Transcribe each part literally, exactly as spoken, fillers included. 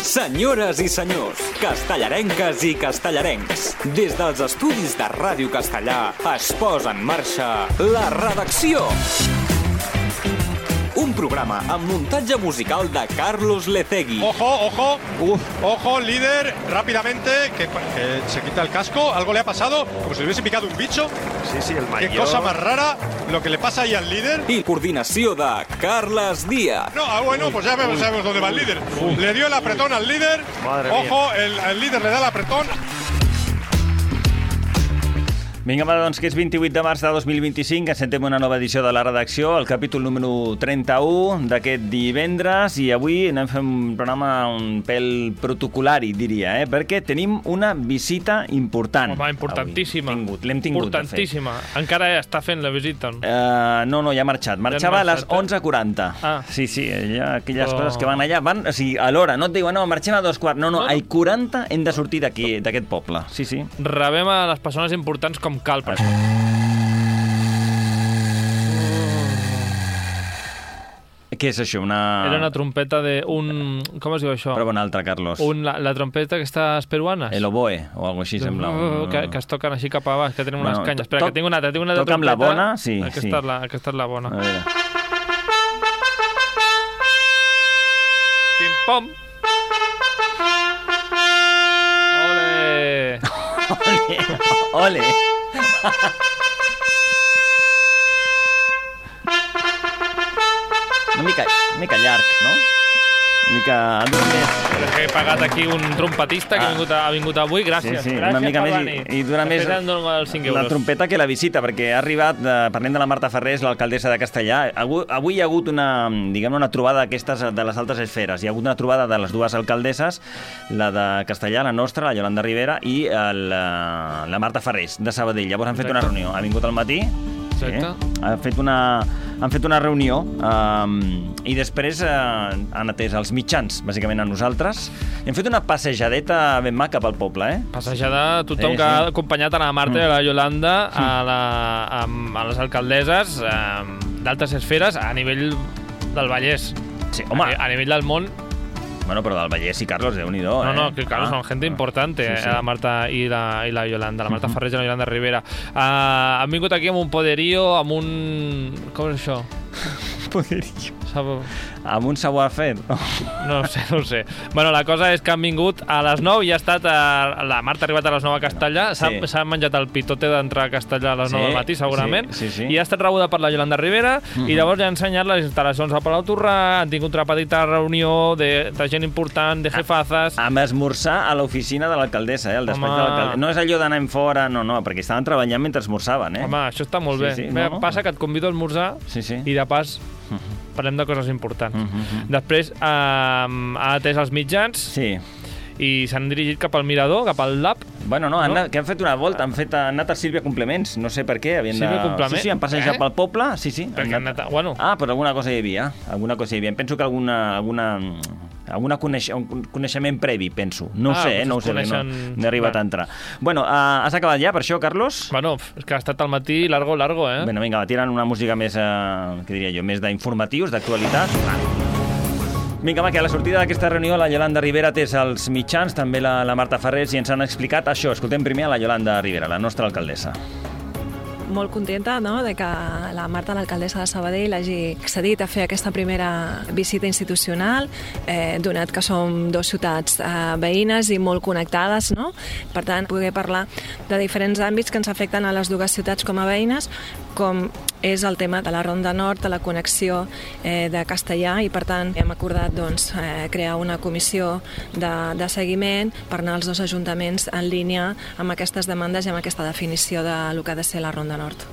Senyores i senyors, castellarenques i castellarencs, des dels estudis de Ràdio Castellà es posa en marxa La Redacció. Un programa amb muntatge musical de Carlos Lecegui. Ojo, ojo, Uf. ojo, líder, rápidamente, que, que se quita el casco, algo le ha pasado, como si le hubiese picado un bicho. Sí, sí, el mayor. Qué cosa más rara lo que le pasa ahí al líder. I coordinació de Carles Díaz. No, ah, bueno, pues ya vemos, sabemos dónde va el líder. Uf. Le dio el apretón al líder. Madre ojo, el, el líder le da el apretón. Vinga, va, doncs que és vint-i-vuit de març de dos mil vint-i-cinc, encetem una nova edició de La Redacció, el capítol número trenta-u d'aquest divendres, i avui anem fent un programa un pèl protocolari, diria, eh? Perquè tenim una visita important. Home, importantíssima. Tingut, l'hem tingut importantíssima. Encara està fent la visita? Uh, no, no, ja ha marxat. Marxava ja a les onze quaranta. Ah. Sí, sí, ja, aquelles oh. coses que van allà, van, o sigui, a l'hora, no et diuen, no, marxem a dos quarts, no, no, no. a quaranta hem de sortir d'aquí, d'aquest poble. Sí, sí. Rebem a les persones importants com cal per això. Què és això? Una... Era una trompeta de un... Com es diu això? Prova una altra, Carlos. Un, la, la trompeta aquestes peruanes. El oboe, o alguna cosa així, sembla. Uh, que, que es toquen així cap a baix, que tenen bueno, unes canyes. Espera, toc, que tinc una altra, tinc una altra trompeta. Toca amb la bona? Sí, aquesta, sí. És la, aquesta és la bona. A veure. Pim-pom! Ole! Ole! Ole! Una mica, una mica llarg, no? Una mica... He pagat aquí un trompetista que ah. ha, vingut, ha vingut avui. Gràcies. Sí, sí, gràcies una mica més i, i dura més la trompeta que la visita, perquè ha arribat, eh, parlem de la Marta Ferrés, l'alcaldessa de Castellà. Avui, avui hi ha hagut una, diguem, una trobada d'aquestes de les altes esferes. Hi ha hagut una trobada de les dues alcaldesses, la de Castellà, la nostra, la Yolanda Rivera, i el, la Marta Ferrés, de Sabadell. Llavors han fet una reunió. Ha vingut al matí, sí, han fet una... Han fet una reunió um, i després uh, han atès els mitjans, bàsicament a nosaltres, i han fet una passejadeta ben maca pel poble, eh? Passejada, tothom sí, que sí. ha acompanyat a la Marta mm. i a la Yolanda a, la, a, a les alcaldesses um, d'altes esferes a nivell del Vallès. Sí, home. A, a nivell del món. Bueno, però del Vallès i Carlos, Déu-n'hi-do, eh? No, no, que Carlos ah. son gente importante, sí, sí. Eh, la Marta i la, i la Yolanda, la Marta uh-huh. Ferrés i la Yolanda Rivera. Uh, han vingut aquí amb un poderío, amb un... Com és això? Poderío. Sabo... Amb un savoir-faire. No ho sé, no ho sé. Bueno, la cosa és que han vingut a les nou i ha estat... A... La Marta ha arribat a les nou a Castellà, s'ha sí. menjat el pitote d'entrar a Castellà a les nou sí, del matí, segurament, sí, sí, sí. i ha estat rebuda per la Yolanda Rivera, uh-huh. i llavors ja ha ensenyat les instal·lacions a Palau Torrà, han tingut una petita reunió de, de gent important, de jefazas... Amb esmorzar a l'oficina de l'alcaldessa, eh? El despatx Home... de l'alcaldessa. No és allò d'anar en fora, no, no, perquè estaven treballant mentre esmorzaven, eh? Home, això està molt sí, bé. Sí, bé no, passa no. que et convido a esmorzar sí, sí. i de pas... Uh-huh. Parlem de coses importants. Uh-huh. Després eh, ha atès els mitjans sí. i s'han dirigit cap al mirador, cap al L A B. Bueno, no, han, no? que han fet una volta, han, fet, han anat a Sílvia Complements, no sé per què. Havien Sílvia de... Complements? Sí, sí, han passejat eh? pel poble, sí, sí. Han anat... A... Bueno. Ah, però alguna cosa hi havia, alguna cosa hi havia. Penso que alguna... alguna... alguna coneix... un coneixement previ, penso. No ho ah, sé, eh? no ho sé, coneixen... no, no he arribat Va. a entrar. Bueno, uh, has acabat ja per això, Carlos? Bueno, és que ha estat al matí largo, largo, eh? Bueno, vinga, va, tirant una música més, uh, què diria jo, més d'informatius, d'actualitat. Vinga, va, que a la sortida d'aquesta reunió la Yolanda Rivera té els mitjans, també la, la Marta Ferrés, i ens han explicat això. Escoltem primer a la Yolanda Rivera, la nostra alcaldessa. Molt contenta, no?, de que la Marta, l'alcaldessa de Sabadell, hagi accedit a fer aquesta primera visita institucional, eh, donat que som dues ciutats eh, veïnes i molt connectades, no? Per tant, poder parlar de diferents àmbits que ens afecten a les dues ciutats com a veïnes, com és el tema de la Ronda Nord, de la connexió eh, de Castellà, i per tant hem acordat doncs, eh, crear una comissió de, de seguiment per anar als dos ajuntaments en línia amb aquestes demandes i amb aquesta definició de lo que ha de ser la Ronda Nord.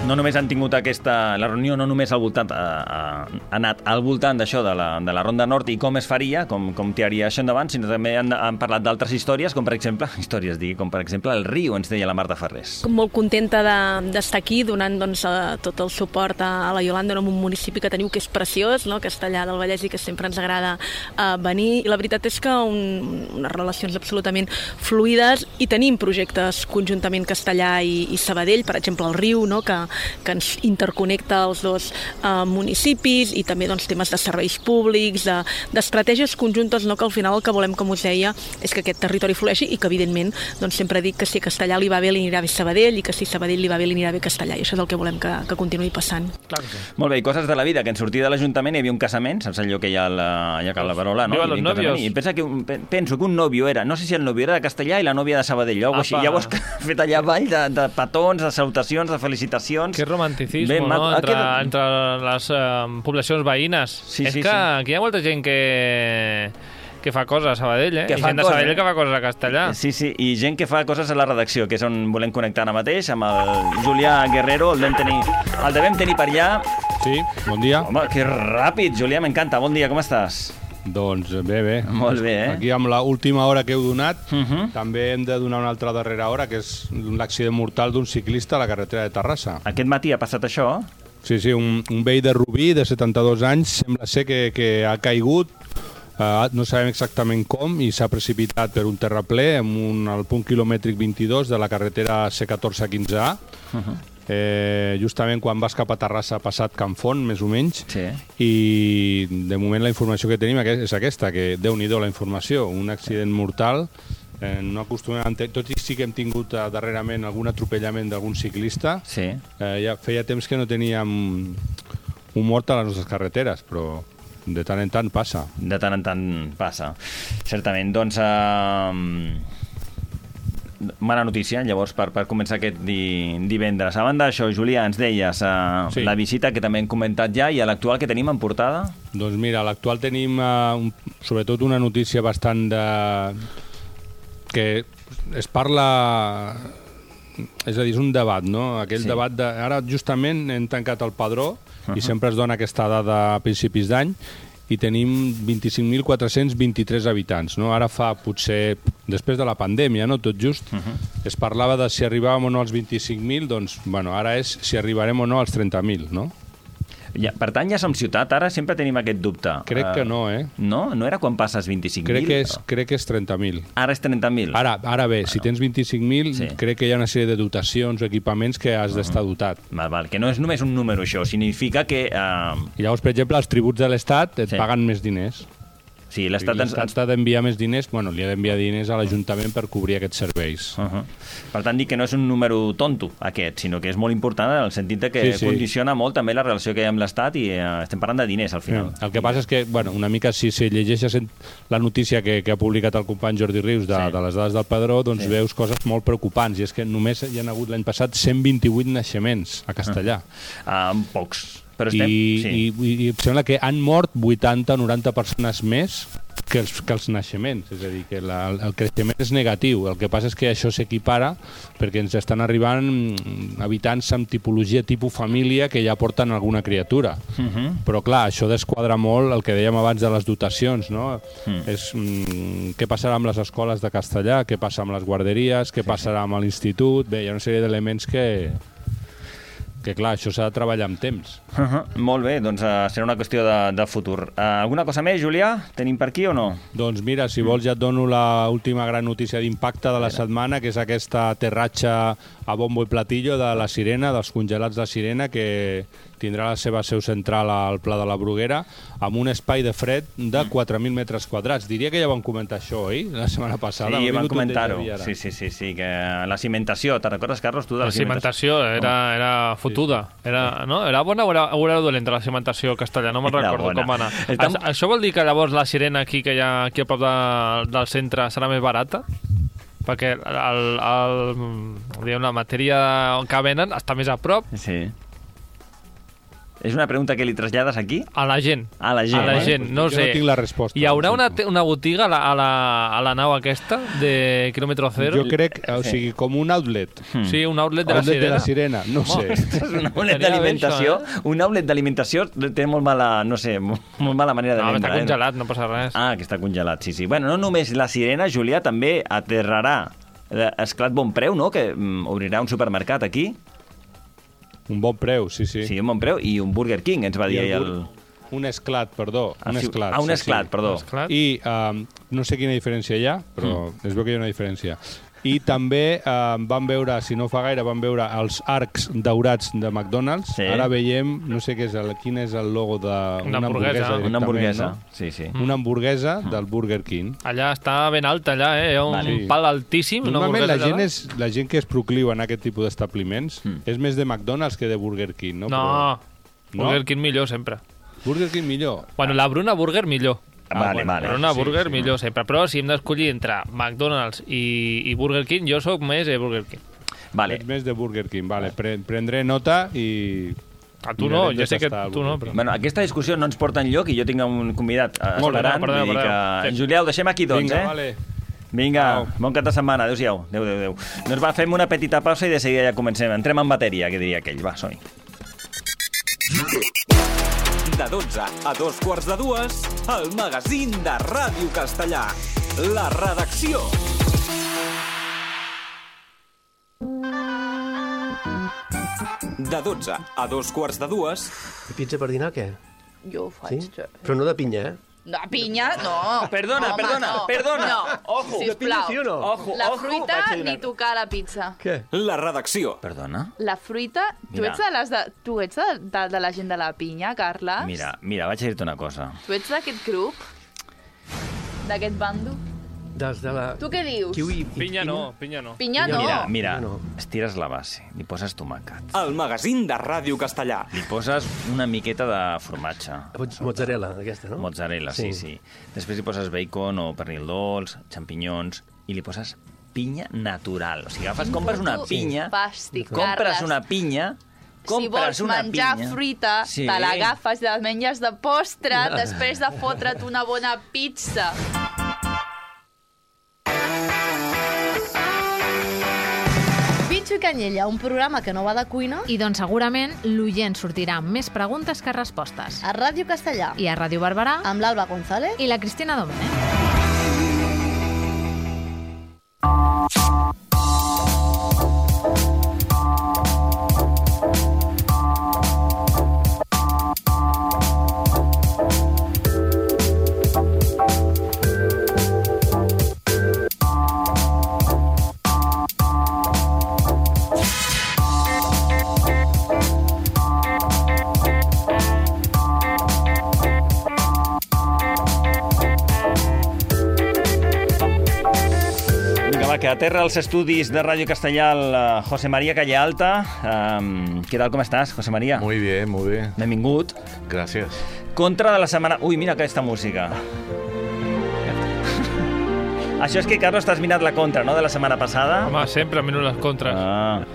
No només han tingut aquesta... La reunió no només al voltant, ha, ha anat al voltant d'això, de, la, de la Ronda Nord i com es faria, com, com tiraria això endavant, sinó també han, han parlat d'altres històries, com per exemple, històries, digui, com per exemple el riu, ens deia la Marta Ferrés. Molt contenta d'estar de, aquí donant doncs, a tot el suport a la Iolanda, en un municipi que teniu que és preciós, no? Castellar del Vallès, i que sempre ens agrada uh, venir. I la veritat és que un, unes relacions absolutament fluides, i tenim projectes conjuntament Castellar i, i Sabadell, per exemple el riu, no? que, que ens interconnecta els dos uh, municipis, i també doncs, temes de serveis públics, de, d'estratègies conjuntes, no? que al final el que volem, com us deia, és que aquest territori flueixi, i que evidentment doncs, sempre dic que si a Castellar li va bé li anirà bé Sabadell, i que si Sabadell li va bé li anirà bé Castellar, i això és el que volem que, que continuï passant. Clar que sí. Molt bé, i coses de la vida, que en sortir de l'Ajuntament hi havia un casament, saps allò que hi ha la, hi ha la parola, no? Viva los novios. I pensa que un, penso que un nòvio era, no sé si el nòvio era de Castellar i la nòvia de Sabadell, o així. Llavors fet allà avall de, de petons, de salutacions, de felicitacions. Que romanticisme, bé, no? Entre, quedat... entre les uh, poblacions veïnes. Sí, és sí, que sí. Aquí hi ha molta gent que... que fa coses a Sabadell, eh? Que I gent de Sabadell que fa coses a Castellar. Sí, sí, i gent que fa coses a la redacció, que és on volem connectar ara mateix, amb el Julià Guerrero, el devem tenir, el devem tenir per allà. Sí, bon dia. Home, que ràpid, Julià, m'encanta. Bon dia, com estàs? Doncs bé, bé. Molt bé, eh? Aquí amb l'última hora que heu donat, uh -huh. també hem de donar una altra darrera hora, que és l'accident mortal d'un ciclista a la carretera de Terrassa. Aquest matí ha passat això? Sí, sí, un, un vell de Rubí, de setanta-dos anys, sembla ser que, que ha caigut, uh, no sabem exactament com, i s'ha precipitat per un terraplè en un, al punt quilomètric vint-i-dos de la carretera C catorze quinze A, uh -huh. Eh, justament quan vas cap a Terrassa ha passat Can Font, més o menys, sí. I de moment la informació que tenim és aquesta, que Déu-n'hi-do la informació, un accident mortal, eh, no acostumem a entendre, tot i sí que hem tingut eh, darrerament algun atropellament d'algun ciclista, sí. eh, ja feia temps que no teníem un mort a les nostres carreteres, però de tant en tant passa. De tant en tant passa, certament. Doncs... Eh... mala notícia, llavors, per, per començar aquest di, divendres. A banda d'això, Julià, ens deies uh, sí. la visita que també hem comentat ja, i a l'actual que tenim en portada? Doncs mira, a l'actual tenim uh, un, sobretot una notícia bastant de... que es parla... És a dir, és un debat, no? Aquell sí. debat de... Ara justament hem tancat el padró, uh-huh. i sempre es dona aquesta dada a principis d'any, i tenim vint-i-cinc mil quatre-cents vint-i-tres habitants, no? Ara fa potser, després de la pandèmia, no? Tot just, uh-huh. es parlava de si arribàvem o no als vint-i-cinc mil, doncs, bueno, ara és si arribarem o no als trenta mil, no? Ja, per tant, ja som ciutat, ara sempre tenim aquest dubte. Crec uh, que no, eh? No? No era quan passes vint-i-cinc mil? Crec que és, crec que és trenta mil. Ara és trenta mil? Ara, ara bé, bueno. Si tens vint-i-cinc mil, sí. crec que hi ha una sèrie de dotacions o equipaments que has uh-huh. d'estar dotat. Val, val, que no és només un número, això. Significa que... Uh... I llavors, per exemple, els tributs de l'Estat et sí. paguen més diners. Sí, l'Estat ens... ha d'enviar més diners, bueno, li ha d'enviar diners a l'Ajuntament per cobrir aquests serveis. Uh-huh. Per tant, dic que no és un número tonto, aquest, sinó que és molt important en el sentit de que sí, sí. condiciona molt també la relació que hi ha amb l'Estat, i uh, estem parlant de diners, al final. Sí. El que passa és que, bueno, una mica, si, si llegeixes la notícia que, que ha publicat el company Jordi Rius de, sí. de les dades del Padró, doncs sí. veus coses molt preocupants, i és que només hi ha hagut l'any passat cent vint-i-vuit naixements a Castellar. Uh, uh, pocs, però estem... I, sí. i, i, i em sembla que han mort vuitanta o noranta persones més que els, que els naixements, és a dir, que la, el creixement és negatiu. El que passa és que això s'equipara perquè ens estan arribant habitants amb tipologia tipus família que ja porten alguna criatura. Uh-huh. Però clar, això desquadra molt el que dèiem abans de les dotacions, no? Uh-huh. És mm, què passarà amb les escoles de castellà, què passa amb les guarderies, què sí, passarà amb l'institut. Bé, hi ha una sèrie d'elements que... que clar, això s'ha de treballar amb temps. Uh-huh. Molt bé, doncs uh, serà una qüestió de, de futur. Uh, alguna cosa més, Julià? Tenim per aquí o no? Doncs mira, si vols ja et dono l'última gran notícia d'impacte de la setmana, que és aquesta aterratge a bombo i platillo de la Sirena, dels congelats de Sirena, que tindrà la seva seu central al Pla de la Bruguera, amb un espai de fred de quatre mil metres quadrats. Diria que ja vam comentar això, oi? La setmana passada. Sí, vam comentar-ho. Sí, sí, sí, sí, que la cimentació, te'n recordes, Carlos, tu de la, la cimentació? La cimentació era, era fotuda. Era, no? Era bona o era, o era dolenta la cimentació castellà? No me'n recordo com va anar. Tam... Això vol dir que llavors la Sirena aquí, que hi ha aquí a prop de, del centre, serà més barata? Perquè el, el, el, la matèria que venen està més a prop. Sí. És una pregunta que li trasllades aquí? A la gent. A la gent. A la gent, no jo sé. no tinc la resposta. Hi haurà una, una botiga a la, a, la, a la nau aquesta de quilòmetre zero? Jo crec, o sigui, com un outlet. Hmm. Sí, un outlet de la outlet Sirena. de la Sirena, no oh, sé. Un outlet d'alimentació, eh? Un outlet d'alimentació té molt mala, no sé, molt mala manera de no, vendre. No, està congelat, eh? No passa res. Ah, que està congelat, sí, sí. Bueno, no només la Sirena, Julià, també aterrarà Esclat Bon Preu, no?, que mm, obrirà un supermercat aquí. Un bon preu, sí, sí. Sí, un bon preu, i un Burger King, ens va dir el... el... Un esclat, perdó. Ah, un sí. esclat. Ah, un esclat, sí, sí. perdó. Esclat. I um, no sé quina diferència hi ha, però mm. es veu que hi ha una diferència. I també um, vam veure, si no fa gaire, vam veure els arcs daurats de McDonald's. Sí. Ara veiem, no sé què és el, quin és el logo d'una una hamburguesa. hamburguesa. Una hamburguesa, no? sí, sí. Una hamburguesa mm. del Burger King. Allà està ben alta, allà, eh? Hi ha un vale. pal altíssim. Normalment la gent, és, la gent que es procliu en aquest tipus d'establiments mm. és més de McDonald's que de Burger King, no? No, però... Burger no? King millor sempre. Burger King millor? Bueno, la Bruna Burger millor. Ah, vale, bueno, vale. Bruna sí, Burger sí, millor sí. sempre. Però si hem d'escollir entre McDonald's i, i Burger King, jo sóc més de Burger King. Vale. Ets més de Burger King, vale. Pre prendré nota i... A tu no, jo sé que tu no, però... Bueno, aquesta discussió no ens porta enlloc i jo tinc un convidat esperant. Molt bé, perdó, perdó. Que... Sí. Julià, ho deixem aquí, doncs, Vinga, eh? Vale. Vinga, Au. bon cap de setmana. Adéu-siau. Adéu, adéu, adéu. Doncs va, fem una petita pausa i de seguida ja comencem. Entrem en matèria, que diria aquell. Va, som-hi. De dotze a dos quarts de dues, el magazín de Ràdio Castellà. La redacció. De dotze a dos quarts de dues... Pizza per dinar, què? Jo ho faig. Sí? Però no de pinya, eh? De pinya, no. Perdona, Home, perdona, no. perdona. No. Ojo. De pinya sí o no? Ojo, La ojo, fruita ni tocar la pizza. Què? La redacció. Perdona? La fruita... Tu Mira. ets, de, les de, tu ets de, de, de la gent de la pinya, Carles? Mira, mira, vaig a dir-te una cosa. Tu ets d'aquest grup? D'aquest bando? Dels de la... Tu què dius? Kiwi... Pinya no, pinya no. Pinya no. Mira, mira, no. estires la base, li poses tomàquet, El magazín de Ràdio Castellà. li poses una miqueta de formatge, Mozzarella, aquesta, no? mozzarella, sí, sí. Després li poses bacon o pernil dolç, xampinyons, i li poses pinya natural. O sigui, agafes, compres una pinya, Fàstic, compres Carles. una pinya, Si vols una menjar pinya, fruita, sí. te l'agafes i la menges de postre després de fotre't una bona pizza. Bitxo i Canyella, un programa que no va de cuina I doncs segurament l'oient sortirà amb més preguntes que respostes. a Ràdio Castellà I a Ràdio Barberà amb l'Alba González i la Cristina Domènech. Que aterra als estudis de Ràdio Castellà el uh, José María Calle Alta. Um, ¿Qué tal, com estàs, José María? Muy bien, muy bien. Benvingut. Gracias. Contra de la setmana... Ui, mira aquesta música. Això és que, Carlos, t'has mirat la contra, no?, de la setmana passada. Home, sempre miro les contres. Ah.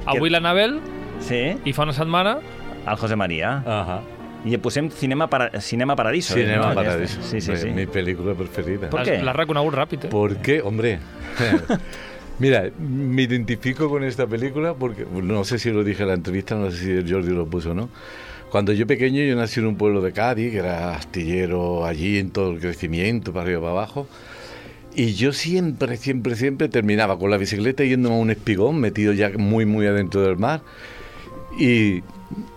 Avui Que... l'Anabel Sí. i fa una setmana... El José María. Ajá. I posem Cinema, para... Cinema Paradiso. Cinema ¿no? Paradiso. Sí, sí, sí. Mi película preferida. ¿Por qué? L'has reconegut ràpid, eh? ¿Por qué? Hombre. Mira, me identifico con esta película porque, no sé si lo dije en la entrevista, no sé si Jordi lo puso o no. Cuando yo pequeño, yo nací en un pueblo de Cádiz, que era astillero allí en todo el crecimiento, para arriba y para abajo. Y yo siempre, siempre, siempre terminaba con la bicicleta yendo a un espigón, metido ya muy, muy adentro del mar. Y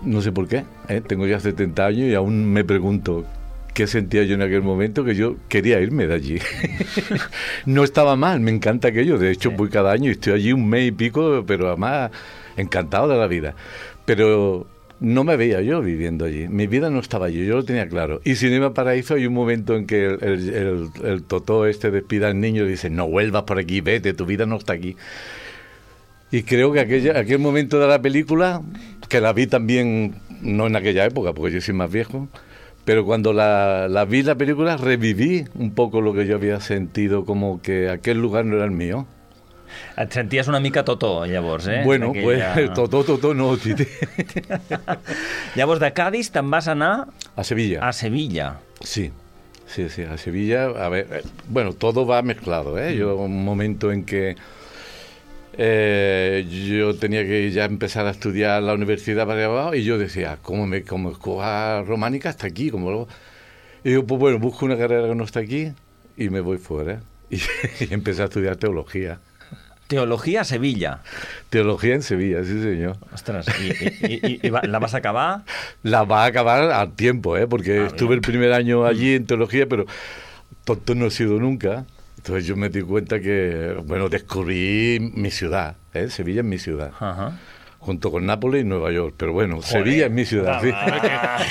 no sé por qué, ¿eh? Tengo ya setenta años y aún me pregunto qué sentía yo en aquel momento, que yo quería irme de allí. No estaba mal, me encanta aquello. De hecho, sí. Voy cada año y estoy allí un mes y pico, pero además encantado de la vida. Pero no me veía yo viviendo allí. Mi vida no estaba allí, yo lo tenía claro. Y Cinema Paraíso hay un momento en que el, el, el, el totó este despide al niño y dice, no vuelvas por aquí, vete, tu vida no está aquí. Y creo que aquella, aquel momento de la película, que la vi también, no en aquella época, porque yo soy más viejo, pero cuando la, la vi la película reviví un poco lo que yo había sentido, como que aquel lugar no era el mío. Et senties una mica Totó, llavors, eh? Bueno, Aquella... pues Totó, Totó no, Tite. Llavors, de Cádiz te'n vas anar... A Sevilla. A Sevilla. Sí, sí, sí, a Sevilla. A ver, eh, bueno, todo va mezclado, ¿eh? Yo, un momento en que eh, yo tenía que ya empezar a estudiar la universidad para abajo y yo decía, ¿cómo me cómo escoja románica hasta aquí? ¿Cómo lo... Y digo, pues bueno, busco una carrera que no está aquí y me voy fuera. Y, y empecé a estudiar teología. Teología a Sevilla. Teología en Sevilla, sí, señor. Ostras, ¿y, y, y, y la vas a acabar? La va a acabar al tiempo, ¿eh? Porque ah, estuve bien. el primer año allí en teología, pero tonto no he sido nunca. Entonces yo me di cuenta que, bueno, descubrí mi ciudad, ¿eh? Sevilla es mi ciudad. Ajá. Junto con Nápoles y Nueva York, però bueno, Joder. Sevilla es mi ciudad. Sí.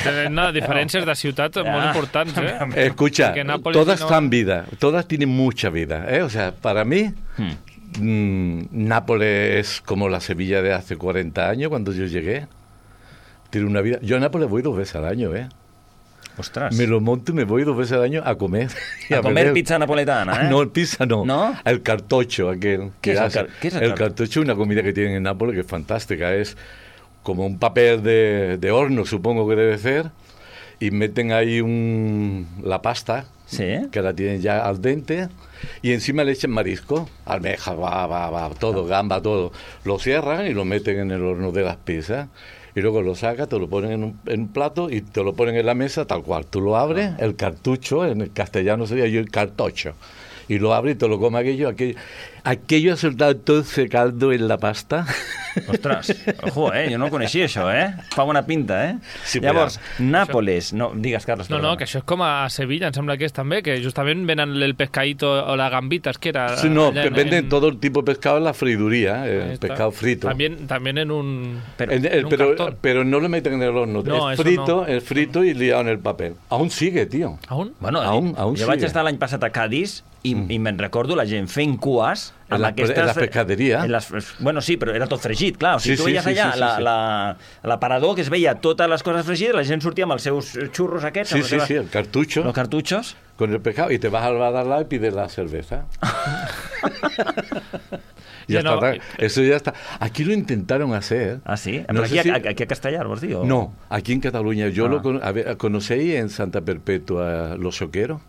Tenen diferències de ciutats ja. molt importants, ¿eh? Escucha, todas no... dan vida, todas tienen mucha vida, ¿eh? O sea, para mí, hmm. mmm, Nápoles es como la Sevilla de hace cuarenta años, cuando yo llegué. Tiene una vida. Yo a Nápoles voy dos veces al año, ¿eh? Ostras. Me lo monto y me voy dos veces al año a comer. A, a comer beber. Pizza napoletana, ¿eh? No, pizza no. ¿No? El cartocho, aquel. ¿Qué, que es, hace. el, ¿Qué es el, el cartocho? Es una comida que tienen en Nápoles que es fantástica. Es como un papel de, de horno, supongo que debe ser, y meten ahí un, la pasta, ¿sí? Que la tienen ya al dente, y encima le echan marisco, almeja, va, va, va, todo, gamba, todo. Lo cierran y lo meten en el horno de las pizzas. Y luego lo sacas, te lo ponen en un, en un plato y te lo ponen en la mesa tal cual. Tú lo abres, el cartucho, en el castellano sería yo el cartocho, y lo abres y te lo comes aquello. Aquello, aquello ha soltado todo ese caldo en la pasta. Ostres, ojo, eh? Jo no coneixia això, eh? Fa bona pinta, eh? Sí, Llavors, però... Nápoles... No, digues, Carles. No, no, que això és com a Sevilla, em sembla que és també, que justament venen el pescadito o la gambita, que era... Sí, no, en, venden en... todo el tipo de pescado en la friduría, el pescado frito. También, también en un, pero, en, el, en un pero, cartón. Pero no lo meten en el horno, no, es frito, no. es frito y liado en el papel. Aún sigue, tío. ¿Aún? Bueno, aún, aún jo sigue. vaig estar l'any passat a Cádiz i, mm. i me'n recordo la gent fent cues en, la, aquestes, en les pescaderies. En les, bueno, sí, però era tot fregit, clar. O sigui, sí, tu veies sí, allà sí, sí, la, sí. la, l'aparador que es veia totes les coses fregides, la gent sortia amb els seus xurros aquests. Sí, sí, seves, sí, el cartucho. Los cartuchos. Con el pescado y te vas al bar al lado y pides la cerveza. Ya sí, está, no. Eso ya está. Aquí lo intentaron hacer. ¿Ah, sí? No ¿Pero aquí, si... a, aquí a Castellar, vos digo? No, aquí en Cataluña. Yo ah. lo con... a ver, ¿conocéis en Santa Perpetua los xoqueros?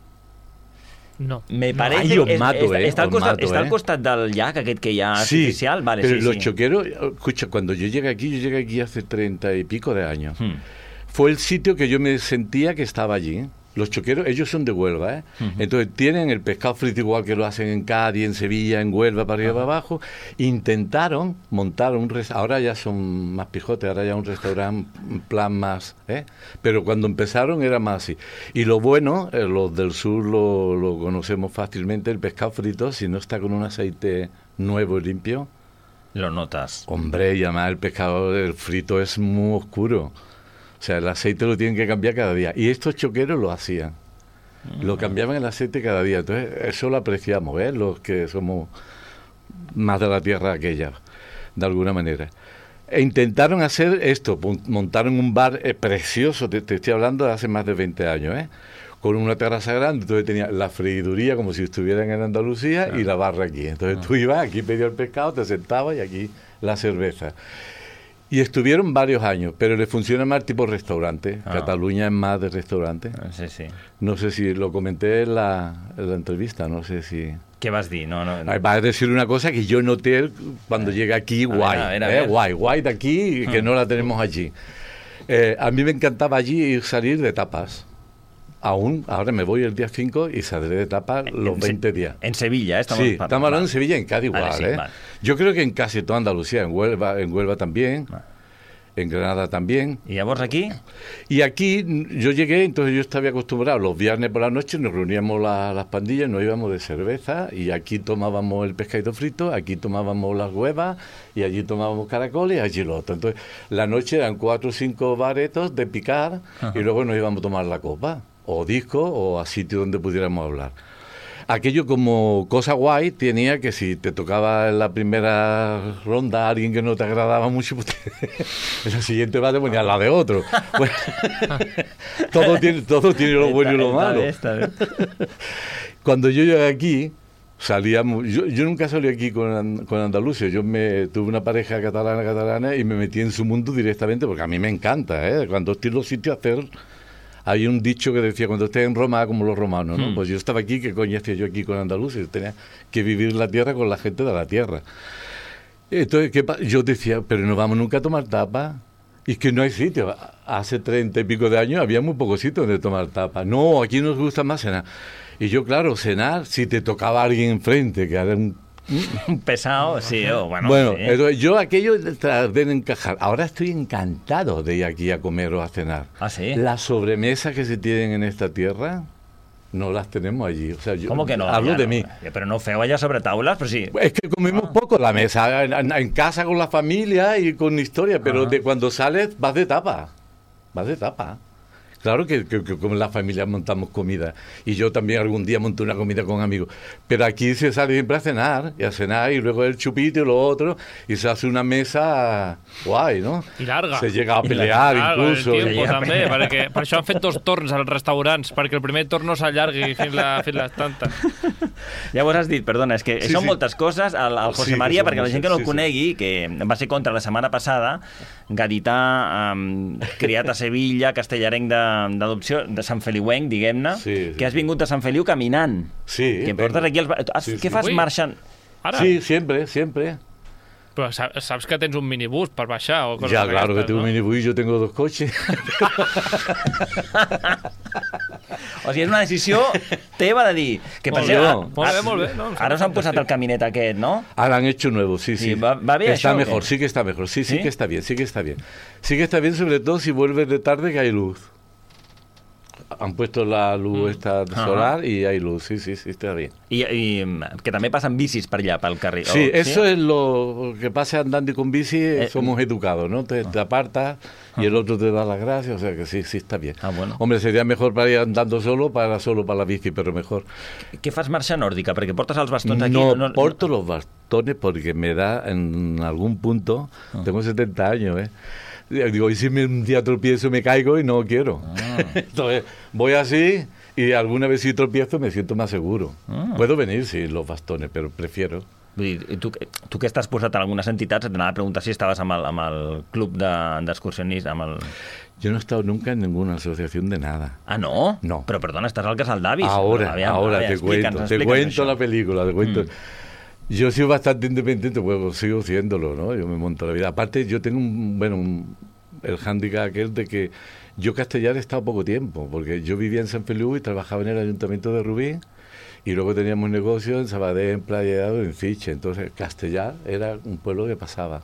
No. Me parece Ay, os mato, que eh, està, al os costat, mato, està eh. al costat del llac aquest que hi ha sí, artificial. Vale, pero sí, los sí. choqueros, escucha, cuando yo llegué aquí, yo llegué aquí hace treinta y pico de años. Hmm. Fue el sitio que yo me sentía que estaba allí. Los choqueros, ellos son de Huelva, ¿eh? Uh-huh. Entonces tienen el pescado frito igual que lo hacen en Cádiz, en Sevilla, en Huelva, para arriba y uh-huh. para abajo. Intentaron montar un restaurante, ahora ya son más pijotes, ahora ya un restaurante, un plan más, ¿eh? Pero cuando empezaron era más así. Y lo bueno, eh, los del sur lo, lo conocemos fácilmente, el pescado frito, si no está con un aceite nuevo y limpio. Lo notas. Hombre, y además el pescado el frito es muy oscuro. O sea, el aceite lo tienen que cambiar cada día. Y estos choqueros lo hacían. Mm. Lo cambiaban el aceite cada día. Entonces, eso lo apreciamos, ¿eh? Los que somos más de la tierra aquella, de alguna manera. E intentaron hacer esto. Montaron un bar eh, precioso. Te, te estoy hablando de hace más de veinte años, ¿eh? Con una terraza grande. Entonces tenía la freiduría como si estuvieran en Andalucía ah. y la barra aquí. Entonces ah. tú ibas, aquí pedías el pescado, te sentabas y aquí la cerveza. Y estuvieron varios años, pero le funciona más tipo restaurante. Ah. Cataluña es más de restaurante. Sí, sí. No sé si lo comenté en la, en la entrevista, no sé si... ¿Qué vas a decir? No, no, no. Vas a decir una cosa que yo noté cuando eh. llegué aquí, guay. A ver, a ver, a ver. Eh, guay, guay de aquí, que hmm. no la tenemos allí. Eh, a mí me encantaba allí ir salir de tapas. Aún, ahora me voy el día cinco y saldré de tapas los en, veinte días. En Sevilla, ¿eh? Estamos sí, estamos hablando vale. en Sevilla, en Cádiz igual, vale, sí, ¿eh? Vale. Yo creo que en casi toda Andalucía, en Huelva, en Huelva también, vale. en Granada también. ¿Y a vos aquí? Y aquí yo llegué, entonces yo estaba acostumbrado, los viernes por la noche nos reuníamos la, las pandillas, nos íbamos de cerveza y aquí tomábamos el pescadito frito, aquí tomábamos las huevas y allí tomábamos caracoles y allí lo otro. Entonces la noche eran cuatro o cinco baretos de picar Ajá. y luego nos íbamos a tomar la copa. O disco, o a sitio donde pudiéramos hablar. Aquello como cosa guay tenía que si te tocaba en la primera ronda a alguien que no te agradaba mucho, pues te, en la siguiente va te ponía la de otro. Bueno, todo, tiene, todo tiene lo bueno y lo malo. Esta, esta, esta. Cuando yo llegué aquí, salíamos, yo, yo nunca salí aquí con, con Andalucía, yo me tuve una pareja catalana catalana y me metí en su mundo directamente porque a mí me encanta, ¿eh? Cuando estoy en los sitios a hacer... Hay un dicho que decía, cuando estés en Roma, como los romanos, ¿no? Hmm. Pues yo estaba aquí, ¿qué coño hacía yo aquí con Andalucía? Yo tenía que vivir la tierra con la gente de la tierra. Entonces, ¿qué pa-? Yo decía, pero no vamos nunca a tomar tapas. Y es que no hay sitio. Hace treinta y pico de años había muy pocos sitios donde tomar tapas. No, aquí nos gusta más cenar. Y yo, claro, cenar, si te tocaba alguien enfrente, que era un Un pesado, sí, oh, bueno. Bueno, sí. Eso, yo aquello tardé en encajar. Ahora estoy encantado de ir aquí a comer o a cenar. ¿Ah, sí? Las sobremesas que se tienen en esta tierra no las tenemos allí. O sea, yo ¿Cómo que no? Hablo ja de no, mí. Pero no feu allà sobre taules, però sí. Es que comemos ah. poco la mesa, en, en casa con la familia y con historia, pero ah. de cuando sales vas de tapa. Vas de tapa. Claro que, que, que con la familia montamos comida. Y yo también algún día monté una comida con amigos. Pero aquí se sale siempre a cenar, y a cenar, y luego el chupito y lo otro, y se hace una mesa guai, ¿no? I larga. Se llega a pelear, larga, incluso. El tiempo, també, perquè per això han fet dos torns als restaurants, perquè el primer torn no s'allargui fins la, fins les tantes. Llavors has dit, perdona, és que sí, són sí. moltes coses. El, el José sí, María, perquè la gent que no el sí, conegui, sí. que va ser contra la setmana passada, gadità, um, criat a Sevilla, castellarenc d'adopció, de, de Sant Feliuenc, diguem-ne, sí, sí. que has vingut a Sant Feliu caminant. Sí. Que em portes aquí... Els... Sí, sí. Què fas marxant? Ara? Sí, siempre, siempre. Però saps que tens un minibús per baixar? O coses ja, claro aquestes, que tengo no? un minibús y yo tengo dos coches. O sigui, és una decisió teva de dir... Que per molt, bé, no, molt bé, molt bé. No, ara us han posat el caminet aquest, ¿no? Ahora han hecho nuevo, sí, sí. sí va, va bé está això, mejor, sí que está mejor. Sí, sí, sí que está bien, sí que está bien. Sí que está bien, sobre todo si vuelves de tarde que hay luz. Han puesto la luz esta solar uh-huh. y hay luz, sí, sí, sí, está bien. Y, y que también pasan bicis para allá, para el carril. Sí, oh, eso ¿sí? es lo que pasa andando con bici, eh, somos educados, ¿no? Te, te apartas y el otro te da las gracias, o sea que sí, sí está bien. Ah, bueno. Hombre, sería mejor para ir andando solo, para solo para la bici, pero mejor. ¿Qué fas marcha nórdica? Porque portas los bastones aquí. No, no porto no... los bastones porque me da en algún punto, uh-huh. tengo setenta años, ¿eh? Digo, y si un día tropiezo me caigo y no quiero. Ah. Entonces, voy así y alguna vez si tropiezo me siento más seguro. Ah. Puedo venir sin los bastones, pero prefiero. I tu, tu que estàs posat en algunes entitats, et anava a preguntar si estaves amb el, amb el club d'excursionistes, amb el... Yo no he estado nunca en ninguna asociación de nada. Ah, ¿no? No. Pero perdona, estás al Casal d'Avis. Ahora, no, aviam, ahora, te cuento, te cuento això. La película, te cuento... Mm. Yo soy bastante independiente, pues sigo siéndolo, ¿no? Yo me monto la vida. Aparte, yo tengo un, bueno, un, el hándicap aquel de que yo castellar he estado poco tiempo, porque yo vivía en San Feliu y trabajaba en el Ayuntamiento de Rubí, y luego teníamos negocios en Sabadell, en Playa de en Fiche. Entonces, Castellar era un pueblo que pasaba.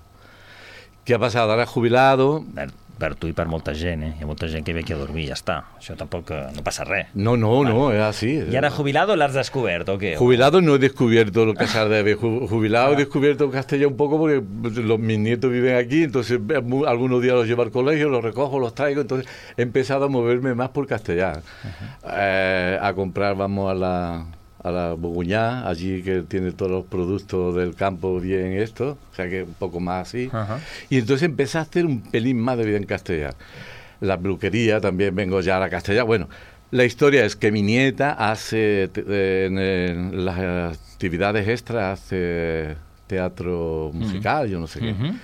¿Qué ha pasado? Ahora jubilado... Per, per tu i per molta gent, eh? Hi ha molta gent que ve aquí a dormir i ja està. Això tampoc no passa res. No, no, vale. No, es así. ¿Y ahora jubilado l'has descubert o qué? Jubilado no he descubierto lo Casal de Aves. Jubilado ah. he descubierto Castellar un poco porque los, mis nietos viven aquí, entonces algunos días los llevo al colegio, los recojo, los traigo, entonces he empezado a moverme más por Castellar. Uh-huh. Eh, a comprar, vamos a la... a la Boguñá, allí que tiene todos los productos del campo bien esto, o sea que un poco más así. Uh-huh. Y entonces empecé a hacer un pelín más de vida en Castellar. La peluquería, también vengo ya a la Castellar. Bueno, la historia es que mi nieta hace, eh, en, en las actividades extras, hace teatro musical, uh-huh. yo no sé qué. Uh-huh.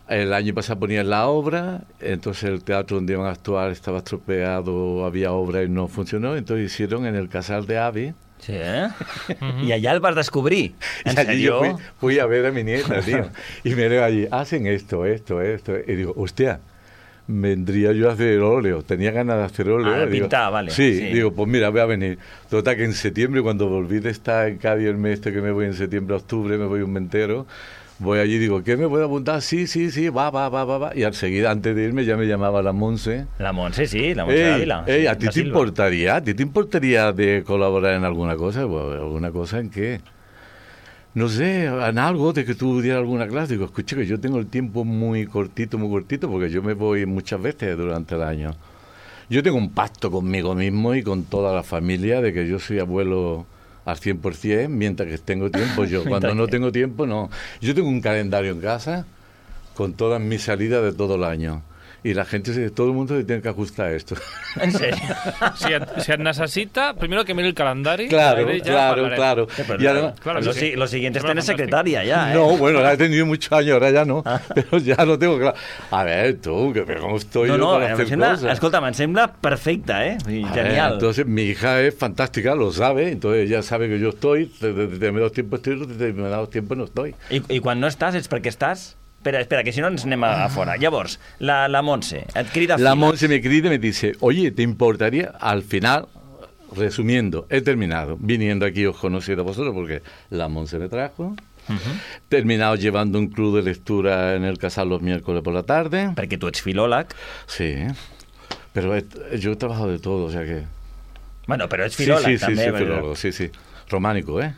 El año pasado ponían la obra, entonces el teatro donde iban a actuar estaba estropeado, había obra y no funcionó, entonces hicieron en el Casal de Avis. Sí, eh? Uh-huh. I allà el vas descobrir. ¿En y allí serio? Yo fui, fui a ver a mi nieta, tío. Y me veo allí, hacen esto, esto, esto. Y digo, hostia, vendría yo a hacer óleo. Tenía ganas de hacer óleo. Ah, digo, pintar, vale. Sí, sí, digo, pues mira, voy a venir. Total, que en septiembre, cuando volví de estar en Cádiz el mes este que me voy en septiembre, octubre, me voy un mes entero. Voy allí y digo, ¿qué me puedo apuntar? Sí, sí, sí, va, va, va, va, va. Y al seguir, antes de irme, ya me llamaba la Monse. La Monse, sí, la Monse Ávila. Ey, ¿a ti te importaría? ¿A ti te importaría de colaborar en alguna cosa? Bueno, ¿alguna cosa en qué? No sé, en algo de que tú dieras alguna clase. Digo, escucha, que yo tengo el tiempo muy cortito, muy cortito, porque yo me voy muchas veces durante el año. Yo tengo un pacto conmigo mismo y con toda la familia de que yo soy abuelo... al cien por ciento, mientras que tengo tiempo yo. Cuando no tengo tiempo, no. Yo tengo un calendario en casa con todas mis salidas de todo el año. Y la gente, todo el mundo se tiene que ajustar a esto. ¿En serio? si, et, si et necesita, primero que mire el calendario. Claro, claro, parlaré. claro. Sí, y además, claro lo, sí. lo siguiente es tener secretaria ya, ¿eh? No, bueno, la he tenido muchos años, ahora ya no. Ah. Pero ya lo tengo claro. A ver, tú, que cómo estoy no, yo no, para hacer sembla, cosas. Escolta, em sembla perfecta, ¿eh? A Genial. Ver, entonces, mi hija es fantástica, lo sabe, entonces ella sabe que yo estoy, de determinados tiempos estoy, de determinados tiempos no estoy. I, i quan no estàs, és perquè estàs... Espera, espera, que si no ens anem a, a fora. Llavors, la, la Montse et crida a La Monse me crida y me dice, oye, ¿te importaría? Al final, resumiendo, he terminado viniendo aquí, os conocí a vosotros porque la Monse me trajo. Uh-huh. Terminado llevando un club de lectura en el Casal los miércoles por la tarde. Perquè tu ets filòleg. Sí, pero he, yo he trabajado de todo, o sea que... Bueno, pero es filólogo sí, sí, también. Sí, sí, filólogo, sí, sí. Románico, ¿eh?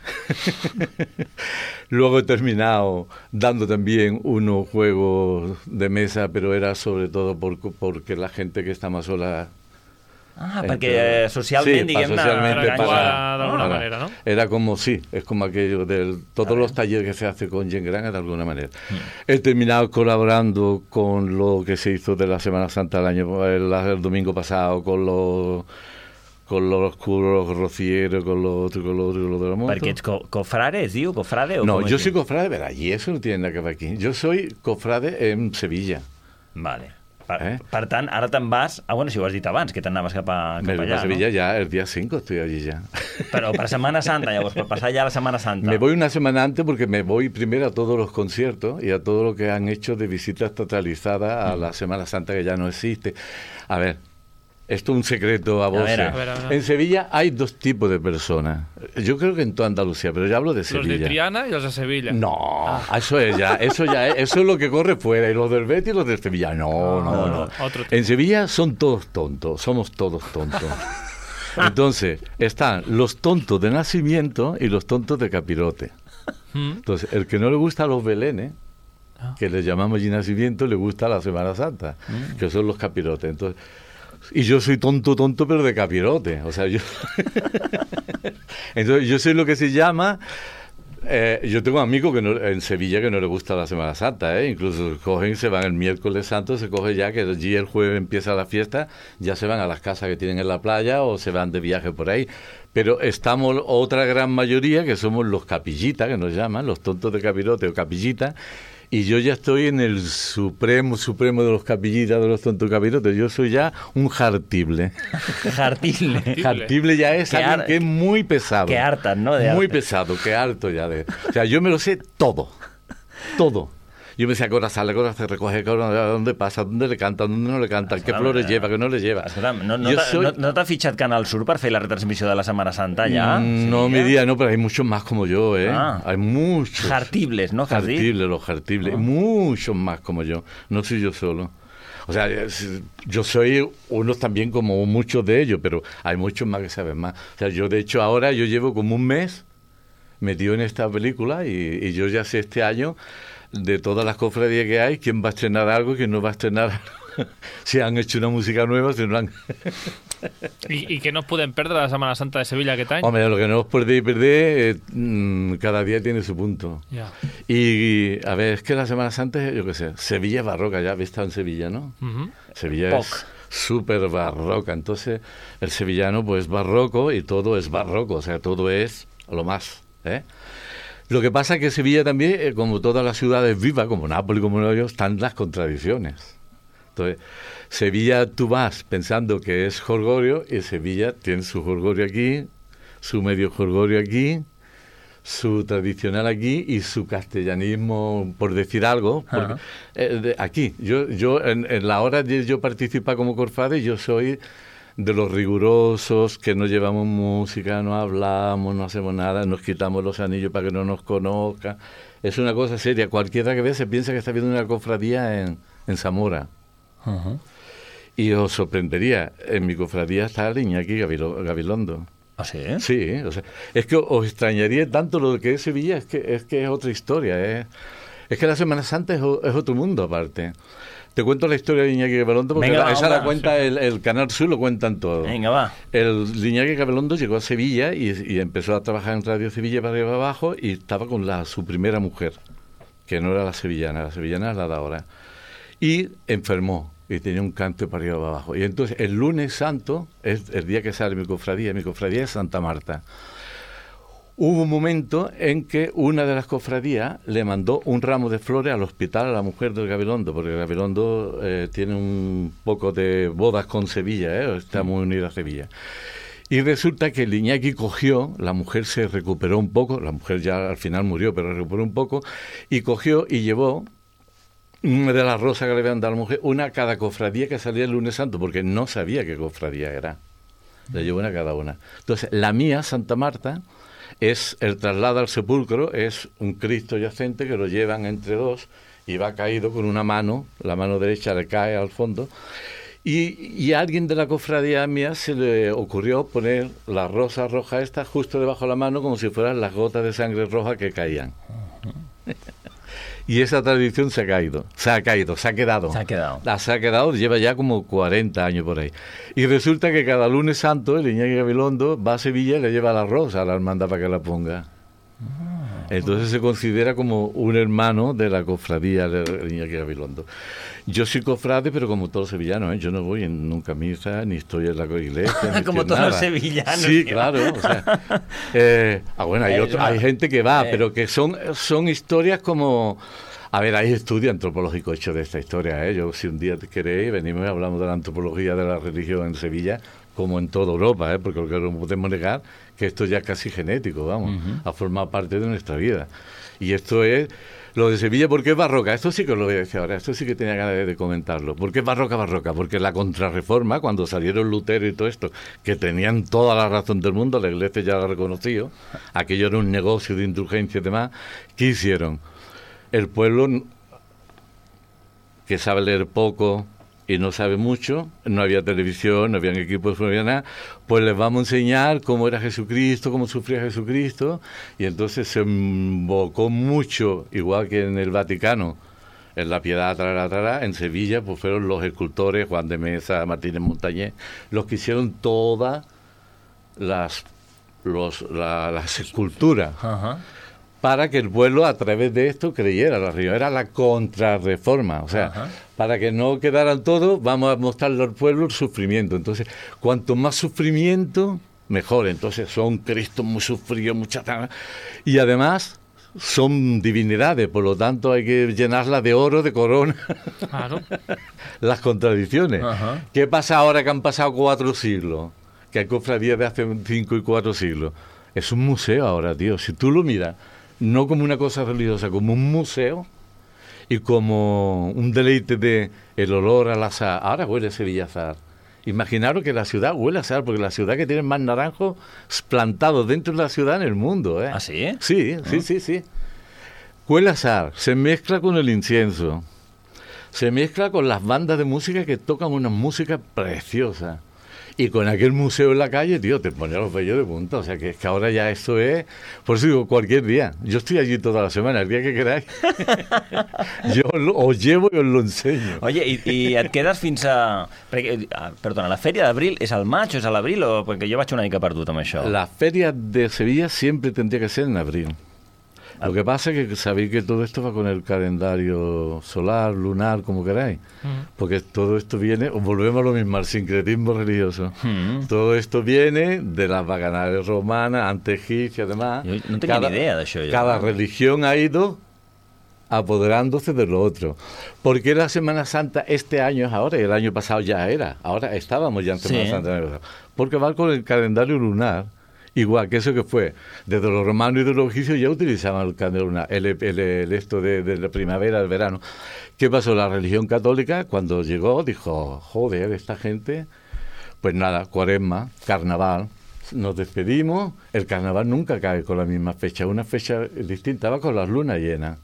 Luego he terminado dando también unos juegos de mesa, pero era sobre todo por, porque la gente que está más sola... Ah, perquè socialment, sí, diguem-ne... socialmente para, para, de alguna manera, ¿no? Era como, sí, es como aquello de todos los talleres que se hace con Gent Gran, de alguna manera. Mm. He terminado colaborando con lo que se hizo de la Semana Santa el año el, el domingo pasado, con los... con los curos rocieros, con lo otro, con lo otro, con lo de la moto. Perquè ets co cofrade, es diu? ¿Cofrade? O no, yo soy cofrade, pero allí eso no tiene nada que ver aquí. Yo soy cofrade en Sevilla. Vale. Per, eh? per tant, ara te'n vas... Ah, bueno, si ho has dit abans, que t'anaves cap, a, cap Me allà, a Sevilla ¿no? ya, el día cinco estoy allí ya. Pero para Semana Santa, llavors, per passar ya la Semana Santa. Me voy una semana antes porque me voy primero a todos los conciertos y a todo lo que han hecho de visitas totalizadas a mm. la Semana Santa, que ya no existe. A ver... Esto es un secreto a voces. A ver, a ver, a ver. En Sevilla hay dos tipos de personas. Yo creo que en toda Andalucía, pero yo hablo de Sevilla. Los de Triana y los de Sevilla. No, ah. eso es ya, eso ya es, eso es lo que corre fuera. Y los del Betis y los de Sevilla. No, ah, no, no. no. Otro en Sevilla son todos tontos, somos todos tontos. Entonces, están los tontos de nacimiento y los tontos de capirote. Entonces, el que no le gusta a los belenes, que les llamamos allí nacimiento, le gusta a la Semana Santa, que son los capirotes. Entonces, y yo soy tonto, tonto, pero de capirote. O sea, yo... Entonces, yo soy lo que se llama... Eh, yo tengo amigos que no, en Sevilla que no les gusta la Semana Santa, ¿eh? Incluso cogen, se van el miércoles santo, se coge ya que allí el jueves empieza la fiesta, ya se van a las casas que tienen en la playa o se van de viaje por ahí. Pero estamos otra gran mayoría que somos los capillitas, que nos llaman, los tontos de capirote o capillitas. Y yo ya estoy en el supremo, supremo de los capillitas, de los tontos capirotes. Yo soy ya un jartible. Jartible. Jartible ya es alguien que es muy pesado. Que hartas, ¿no? De muy arte. pesado, que harto ya de... O sea, yo me lo sé todo. Todo. Yo me sé a qué hora sale, a qué hora se recoge, a qué hora, dónde pasa, dónde le cantan, dónde no le cantan, qué flores lleva, qué no le lleva. No, no, t'ha soy... no, no t'ha fitxat Canal Sur per fer la retransmissió de la Semana Santa ya? Mm, no, mi día no, pero hay muchos más como yo, ¿eh? Ah. Hay muchos. Jartibles, ¿no? Jartibles, los jartibles. Ah. Muchos más como yo. No soy yo solo. O sea, yo soy uno también como muchos de ellos, pero hay muchos más que saben más. O sea, yo de hecho ahora yo llevo como un mes metido en esta película y, y yo ya sé este año de todas las cofradías que hay, quién va a estrenar algo y quién no va a estrenar algo. Si han hecho una música nueva, si no han... ¿Y, ¿Y qué nos pueden perder la Semana Santa de Sevilla aquest any? Hombre, lo que no os podéis perder, eh, cada día tiene su punto. Yeah. Y, y, a ver, es que la Semana Santa, yo qué sé, Sevilla es barroca, ya habéis estado en Sevilla, ¿no? Uh-huh. Sevilla Poc. Es súper barroca, entonces el sevillano pues barroco y todo es barroco, o sea, todo es lo más, ¿eh? Lo que pasa es que Sevilla también, eh, como todas las ciudades vivas, como Nápoles, como Nueva York, están las contradicciones. Entonces, Sevilla tú vas pensando que es jolgorio y Sevilla tiene su jolgorio aquí, su medio jolgorio aquí, su tradicional aquí y su castellanismo, por decir algo, porque, eh, de, aquí. Yo, yo en, en la hora de yo participar como cofrade, yo soy de los rigurosos, que no llevamos música, no hablamos, no hacemos nada, nos quitamos los anillos para que no nos conozcan. Es una cosa seria. Cualquiera que ve se piensa que está viendo una cofradía en, en Zamora. Uh-huh. Y os sorprendería, en mi cofradía está el Iñaki Gabilondo. ¿Ah, sí? Sí, o sea, es que os extrañaría tanto lo que es Sevilla, es que es, que es otra historia. ¿eh? Es que la Semana Santa es, es otro mundo aparte. Te cuento la historia de Iñaki Gabilondo porque Venga, la, esa va, la cuenta sí. el, el Canal Sur, lo cuentan todo. Venga, va. El Iñaki Gabilondo llegó a Sevilla y, y empezó a trabajar en Radio Sevilla para arriba y abajo y estaba con la, su primera mujer, que no era la sevillana, la sevillana es la de ahora. Y enfermó y tenía un cáncer para arriba y abajo. Y entonces el lunes santo es el día que sale mi cofradía, mi cofradía es Santa Marta. Hubo un momento en que una de las cofradías le mandó un ramo de flores al hospital a la mujer del Gabilondo, porque el Gabilondo eh, tiene un poco de bodas con Sevilla, ¿eh? Está muy unida a Sevilla. Y resulta que el Iñaki cogió, la mujer se recuperó un poco, la mujer ya al final murió, pero recuperó un poco, y cogió y llevó una de las rosas que le habían dado a la mujer, una a cada cofradía que salía el lunes santo, porque no sabía qué cofradía era. le llevo una a cada una. Entonces, la mía, Santa Marta, es el traslado al sepulcro, es un Cristo yacente que lo llevan entre dos y va caído con una mano, la mano derecha le cae al fondo, y, y a alguien de la cofradía mía se le ocurrió poner la rosa roja esta justo debajo de la mano como si fueran las gotas de sangre roja que caían. Y esa tradición se ha caído, se ha caído, se ha quedado. Se ha quedado. La, se ha quedado, lleva ya como cuarenta años por ahí. Y resulta que cada lunes santo el Iñaki Gabilondo va a Sevilla y le lleva la rosa a la hermandad para que la ponga. Entonces se considera como un hermano de la cofradía de Iñaki Gabilondo. Yo soy cofrade, pero como todos los sevillanos, ¿eh? Yo no voy en nunca a misa, ni estoy en la iglesia. Como todos los sevillanos. Sí, claro. O sea, eh, ah, bueno, hay, otro, hay gente que va, eh. pero que son, son historias como... A ver, hay estudio antropológico hecho de esta historia, ¿eh? Yo, si un día queréis, venimos y hablamos de la antropología de la religión en Sevilla, como en toda Europa, ¿eh? Porque lo que no podemos negar que esto ya es casi genético, vamos, uh-huh. ha formado parte de nuestra vida. Y esto es... Lo de Sevilla, ¿por qué es barroca? Esto sí que os lo voy a decir ahora, esto sí que tenía ganas de, de comentarlo. ¿Por qué es barroca, barroca? Porque la contrarreforma, cuando salieron Lutero y todo esto, que tenían toda la razón del mundo, la Iglesia ya lo ha reconocido, aquello era un negocio de indulgencia y demás, ¿qué hicieron? El pueblo, que sabe leer poco y no sabe mucho, no había televisión, no habían equipos, no había nada, pues les vamos a enseñar cómo era Jesucristo, cómo sufría Jesucristo, y entonces se invocó mucho, igual que en el Vaticano, en la Piedad, tarara, tarara, en Sevilla, pues fueron los escultores, Juan de Mesa, Martínez Montañés, los que hicieron todas las, los, la, las esculturas. Ajá. Para que el pueblo a través de esto creyera la religión. Era la contrarreforma, o sea, ajá. Para que no quedaran todos, vamos a mostrarle al pueblo el sufrimiento. Entonces, cuanto más sufrimiento, mejor. Entonces, son Cristos muy sufridos, muchas... Y además, son divinidades, por lo tanto, hay que llenarlas de oro, de corona. Claro. Las contradicciones. Ajá. ¿Qué pasa ahora que han pasado cuatro siglos? Que hay cofradías de hace cinco y cuatro siglos. Es un museo ahora, tío. Si tú lo miras... no como una cosa religiosa, como un museo y como un deleite de el olor al azahar. Ahora huele Sevilla azahar. Imaginaros que la ciudad huele a azahar, porque la ciudad que tiene más naranjos plantados dentro de la ciudad en el mundo. ¿eh? ¿Ah, sí? Sí, sí, sí, sí. Huele a azahar, se mezcla con el incienso, se mezcla con las bandas de música que tocan una música preciosa. Y con aquel museo en la calle, tío, te ponía los vellos de punta. O sea, que es que ahora ya esto es... Por eso digo, cualquier día. Yo estoy allí toda la semana, el día que queráis. Yo lo, os llevo i os lo enseño. Oye, i, i et quedes fins a... Perquè, perdona, la Fèria d'Abril és al maig o és a l'abril? O... Perquè jo vaig una mica perdut amb això. La Feria de Sevilla siempre tendría que ser en abril. Lo que pasa es que sabéis que todo esto va con el calendario solar, lunar, como queráis. Mm. Porque todo esto viene, volvemos a lo mismo, al sincretismo religioso. Mm. Todo esto viene de las bacanales romanas, antes egipcias, además. Yo no tenía cada, ni idea de eso. Yo. Cada religión ha ido apoderándose de lo otro. Porque la Semana Santa este año es ahora y el año pasado ya era. Ahora estábamos ya en Semana sí. Santa. Porque va con el calendario lunar. Igual que eso que fue, desde los romanos y de los egipcios ya utilizaban el calendario lunar, el, el, el esto de, de la primavera, el verano. ¿Qué pasó? La religión católica, cuando llegó, dijo, joder, esta gente, pues nada, cuaresma, carnaval, nos despedimos, el carnaval nunca cae con la misma fecha, una fecha distinta, va con las lunas llenas.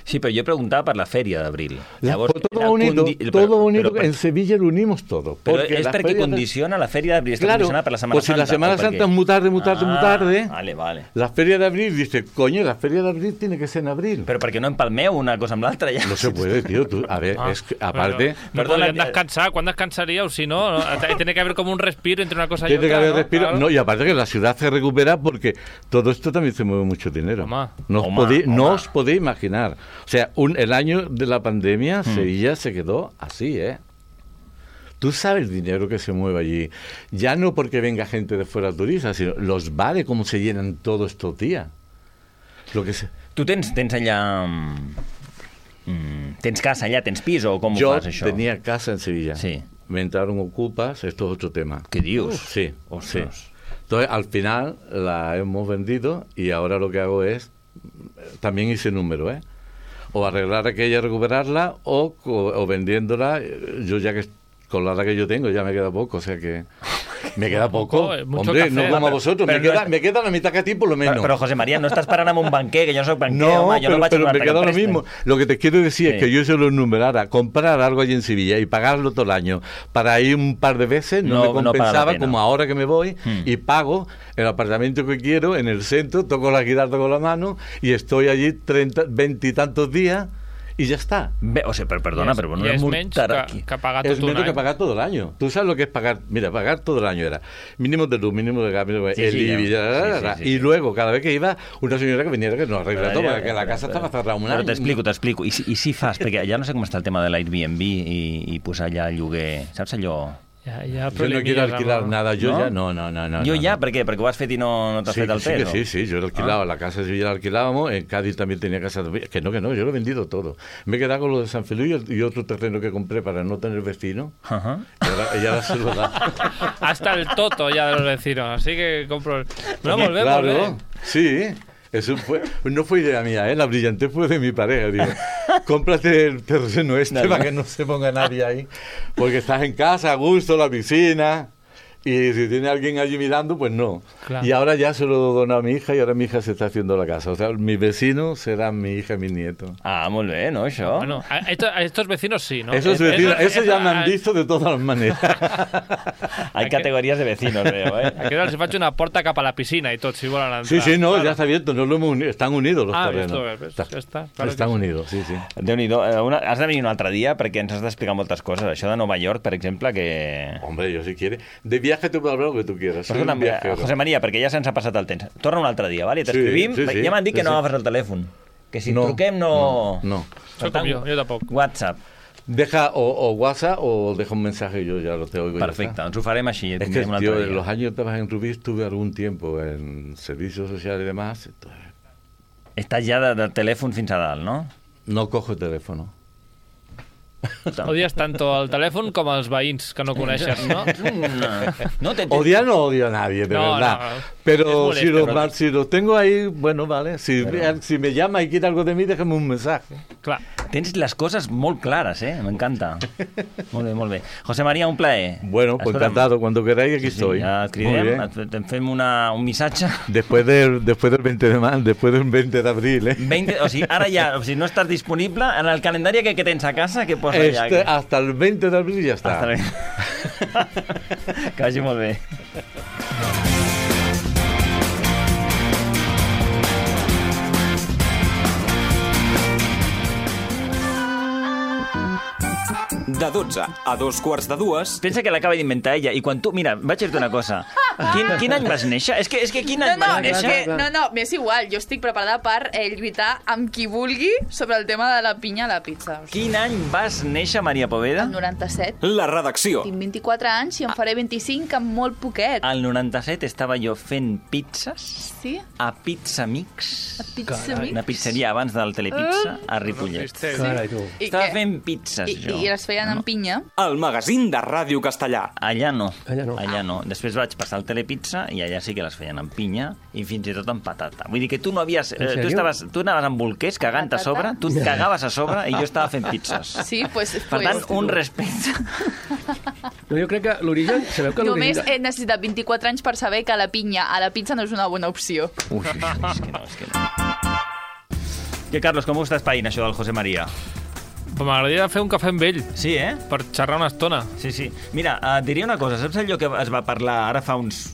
Sí, però jo preguntava per la Fèria d'Abril. Llavors, todo unido, condi... todo unido, però, en Sevilla lo unimos todo. Però és la perquè condiciona de... la Fèria d'Abril, está claro, condicionada per la Semana pues Santa. Si la Semana Santa es muy tarde, muy tarde, ah, muy tarde. Vale, vale. La Feria d'Abril dice, coño, la Feria d'Abril tiene que ser en abril. Pero perquè no empalmeu una cosa amb l'altra ja. No se puede, tío. Tú, a ver, ah, es que, aparte... No podrían descansar. ¿Cuándo descansaríais? Si no, tiene que haber como un respiro entre una cosa y tiene otra. Tiene que haber ¿no? respiro. Claro. No, y aparte que la ciudad se recupera porque todo esto también se mueve mucho dinero. Oma. No, os podéis, no os podéis imaginar. O sea, un, el año de la pandemia, hmm. Sevilla se quedó así, ¿eh? Tú sabes el dinero que se mueve allí. Ya no porque venga gente de fuera turista, sino los bares, cómo se llenan todos estos días. Lo que se... Tu tens, tens allà... Mm, tens casa allà, tens pis o com Yo ho fas, això? Yo tenía casa en Sevilla. Sí. Me entraron ocupas, esto es otro tema. ¿Qué dios? Uf, sí, sí. Entonces, al final la hemos vendido y ahora lo que hago es... También hice número, ¿eh? O arreglar aquella, recuperarla, o, o, o vendiéndola. Yo ya que con la edad que yo tengo ya me queda poco, o sea que Me queda poco. Oh, Hombre, café, no como a vosotros. Me queda, no es... me queda la mitad que a ti, por lo menos. Pero, pero José María, no estás parant amb un banquer, que yo no soy banquer, no, home, yo pero, no vaig pero a me queda lo mismo. Lo que te quiero decir sí. es que yo se lo enumerara. Comprar algo allí en Sevilla y pagarlo todo el año para ir un par de veces no, no me compensaba, no como ahora que me voy hmm. y pago el apartamento que quiero en el centro, toco la guitarra con la mano y estoy allí treinta, veinte y tantos días y ya está. Bé, o sea, pero perdona, es, pero no es menys que, que pagar es todo menos que año. pagar todo el año. Tú sabes lo que es pagar, mira, pagar todo el año era mínimo de luz, mínimo de gas, mínimo de sí, el sí, I B I, ya, sí, sí, sí, y sí. luego cada vez que iba una señora que viniera que nos arregla todo, porque la casa estava cerrada un any. Però t'explico, t'explico. I si, i si fas, perquè ja no sé com està el tema de l'Airbnb i, i posar allà lloguer, saps allò? Ja, ja, yo no quiero alquilar no. nada, yo ¿no? ya no, no, no, no. Yo no, ya, no. ¿por qué? Porque vas fet y no, no te has sí, fet el sí, test. Sí, sí, yo lo alquilaba, ah. la casa de Sevilla la alquilábamos, en Cádiz también tenía casa de... Que no, que no, yo lo he vendido todo. Me he quedado con lo de San Feliu y otro terreno que compré para no tener vecino. Ajá. Y ahora, y ahora se lo da. Hasta el toto ya de los vecinos, así que compro... No, volvemos, claro, ¿eh? Sí, eso fue, no fue idea mía, ¿eh? La brillantez fue de mi pareja. Digo, cómprate el terreno este no, para no. que no se ponga nadie ahí. Porque estás en casa, a gusto, la piscina... Y si tiene alguien allí mirando, pues no. Claro. Y ahora ya se lo dono a mi hija y ahora mi hija se está haciendo la casa. O sea, mis vecinos serán mi hija y mi nieto. Ah, muy bien, ¿no? Eso. Bueno, a, estos, a estos vecinos sí, ¿no? Esos vecinos, eso, eso ya me han visto de todas las maneras. Hay categorías de vecinos, veo, ¿eh? Aquí ahora se faig una porta cap a la piscina y todo, si volen entrar. Sí, sí, no, claro. Ya está abierto, no lo hemos unido, están unidos los ah, terrenos. Ah, esto, ya está. Claro están unidos, sí, sí. Déu-n'hi-do, una, has de venir un altre dia perquè ens has d'explicar moltes coses. Això de Nova York, per exemple, que... Hombre, yo si quiere. De viaje te puedo hablar lo que tú quieras. Perdona, José María, perquè ja se'ns ha passat el temps. Torna un altre dia, vale? T'escrivim. Sí, sí, sí. Ja m'han dit que sí, no agafes el telèfon. Que si no, truquem no... No, no. Soy como yo, yo tampoco. WhatsApp. Deja o, o WhatsApp o deja un mensaje y yo ya lo te oigo. Perfecte, ens ho farem així. Es que, tío, en los años que trabajé en Rubí estuve algún tiempo en servicios sociales y demás. Entonces... Estàs ja de, de telèfon fins a dalt, no? No cojo el teléfono. Odies tanto el teléfono como a los veïns que no coneixes, ¿no? no te, te... Odiar no odio a nadie, de no, verdad. No, pero si lo, pero... si lo tengo ahí, bueno, vale. Si, pero... si me llama y quiere algo de mí, déjame un mensaje. Clar. Tens les coses molt clares, eh? M'encanta. Molt bé, molt bé. José María, un plaer. Bueno, pues encantado. Cuando queráis, aquí sí, estoy. Ja et cridem, et fem una, un missatge. Después del, después del veinte de marzo, después del veinte de abril, eh? veinte, o sigui, ara ja, o sigui, no estàs disponible en el calendari que, que tens a casa, que posa este, allà. Que... Hasta el veinte de abril ja està. Hasta el... que vagi molt bé. De dotze a dos quarts de dues... Pensa que l'acaba d'inventar ella, i quan tu... Mira, vaig dir-te una cosa. Quin, quin any vas néixer? És que, és que quin any no, no, vas néixer? És que, no, no, m'és igual. Jo estic preparada per eh, lluitar amb qui vulgui sobre el tema de la pinya a la pizza. O sigui. Quin any vas néixer, Maria Poveda? El noranta-set. La redacció. Tinc vint-i-quatre anys i em faré vint-i-cinc amb molt poquet. Al noranta-set estava jo fent pizzas sí? a Pizza Mix. A Pizza Mix? Una pizzeria abans del Telepizza, a Ripollet. Sí. Carai, tu. Estava fent pizzas, I, jo. I les feien amb pinya. El magazín de Ràdio Castellà. Allà no. Allà no. Allà no. Després vaig passar al Telepizza i allà sí que les feien amb pinya i fins i tot amb patata. Vull dir que tu no havies... Eh, tu, estaves, tu anaves amb bolquers cagant patata? a sobre, tu et cagaves a sobre i jo estava fent pizzas. Sí, pues... Per tant, pues, un respecte. No, jo crec que l'origen... Sabeu que Només he necessitat vint-i-quatre anys per saber que la pinya a la pizza no és una bona opció. Ui, és que no, és que no. Que, Carlos, com ho estàs païnt, això del José María? M'agradaria fer un cafè amb ell. Sí, eh? Per xerrar una estona. Sí, sí. Mira, et diria una cosa. Saps allò que es va parlar ara fa uns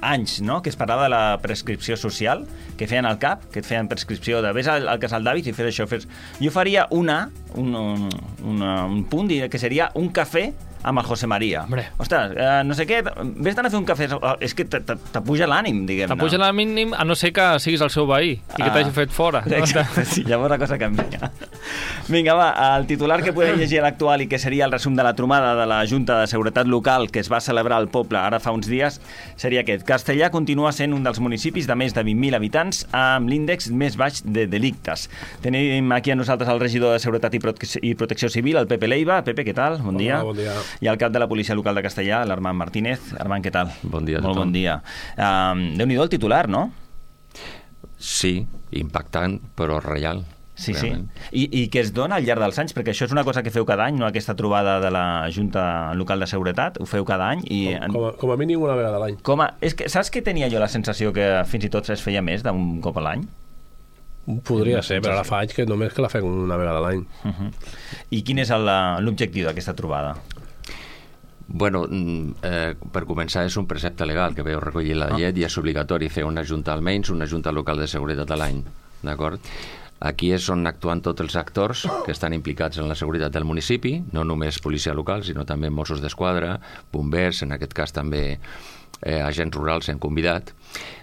anys, no?, que es parlava de la prescripció social, que feien al CAP, que et feien prescripció de vés al, al casal d'àvits i fes això, fes... Jo faria una, un, un, una, un punt que seria un cafè amb el José María. Hombre. Ostres, eh, no sé què, vés d'anar a fer un cafè... És que t'apuja l'ànim, diguem-ne. T'apuja l'ànim, a no ser que siguis el seu veí i ah. que t'hagi fet fora. Exacte, sí, llavors la cosa canvia. Vinga, va, el titular que podem llegir a l'actual i que seria el resum de la trobada de la Junta de Seguretat Local que es va celebrar al poble ara fa uns dies seria aquest. Castellà continua sent un dels municipis de més de vint mil habitants amb l'índex més baix de delictes. Tenim aquí a nosaltres el regidor de Seguretat i, Prote i Protecció Civil, el Pepe Leiva. Pepe, què tal? Bon dia. Hola, bon dia. I el cap de la Policia Local de Castellà, l'Armand Martínez. Armand, què tal? Bon dia a Molt tothom. bon dia. Um, Déu-n'hi-do el titular, no? Sí, impactant, però real. Sí, realment. sí. I, I que es dona al llarg dels anys, perquè això és una cosa que feu cada any, no? Aquesta trobada de la Junta Local de Seguretat, ho feu cada any. I... Com, com, a, com a mínim una vegada a l'any. Com a... és que, saps que tenia jo la sensació que fins i tot es feia més d'un cop a l'any? Podria ser, però ara fa anys que només que la fem una vegada a l'any. Uh-huh. I quin és l'objectiu d'aquesta trobada? Bueno, eh, per començar és un precepte legal que veu recollir la llet ah. i és obligatori fer una junta almenys, una junta local de seguretat a l'any, d'acord? Aquí és on actuen tots els actors que estan implicats en la seguretat del municipi, no només policia local, sinó també Mossos d'Esquadra, bombers, en aquest cas també eh, agents rurals s'han convidat.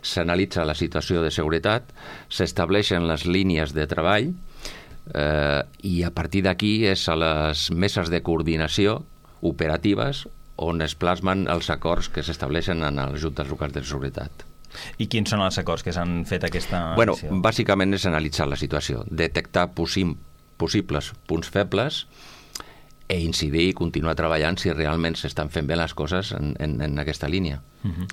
S'analitza la situació de seguretat, s'estableixen les línies de treball eh, i a partir d'aquí és a les meses de coordinació operatives on es plasmen els acords que s'estableixen en les juntes locals de seguretat. I quins són els acords que s'han fet aquesta bueno, acció? Bàsicament és analitzar la situació, detectar possim, possibles punts febles e incidir i continuar treballant si realment s'estan fent bé les coses en, en, en aquesta línia. Uh-huh.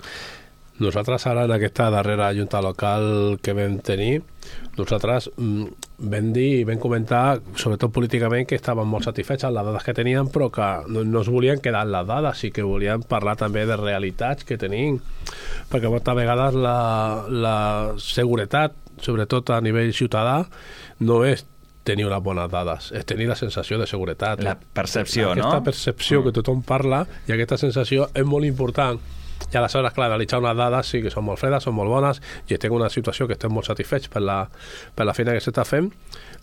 Nosaltres ara en aquesta darrera junta local que vam tenir, nosaltres mm, vam dir i vam comentar, sobretot políticament, que estàvem molt satisfets amb les dades que teníem, però que no, no es volien quedar en les dades, i que volien parlar també de realitats que tenim, perquè moltes vegades la, la seguretat, sobretot a nivell ciutadà, no és tenir unes bones dades, és tenir la sensació de seguretat. La percepció, aquesta no? Aquesta percepció mm. que tothom parla, i aquesta sensació és molt important. I aleshores, clar, analitzar unes dades sí que són molt fredes, són molt bones, i estem en una situació que estem molt satisfets per la, per la feina que s'està fent,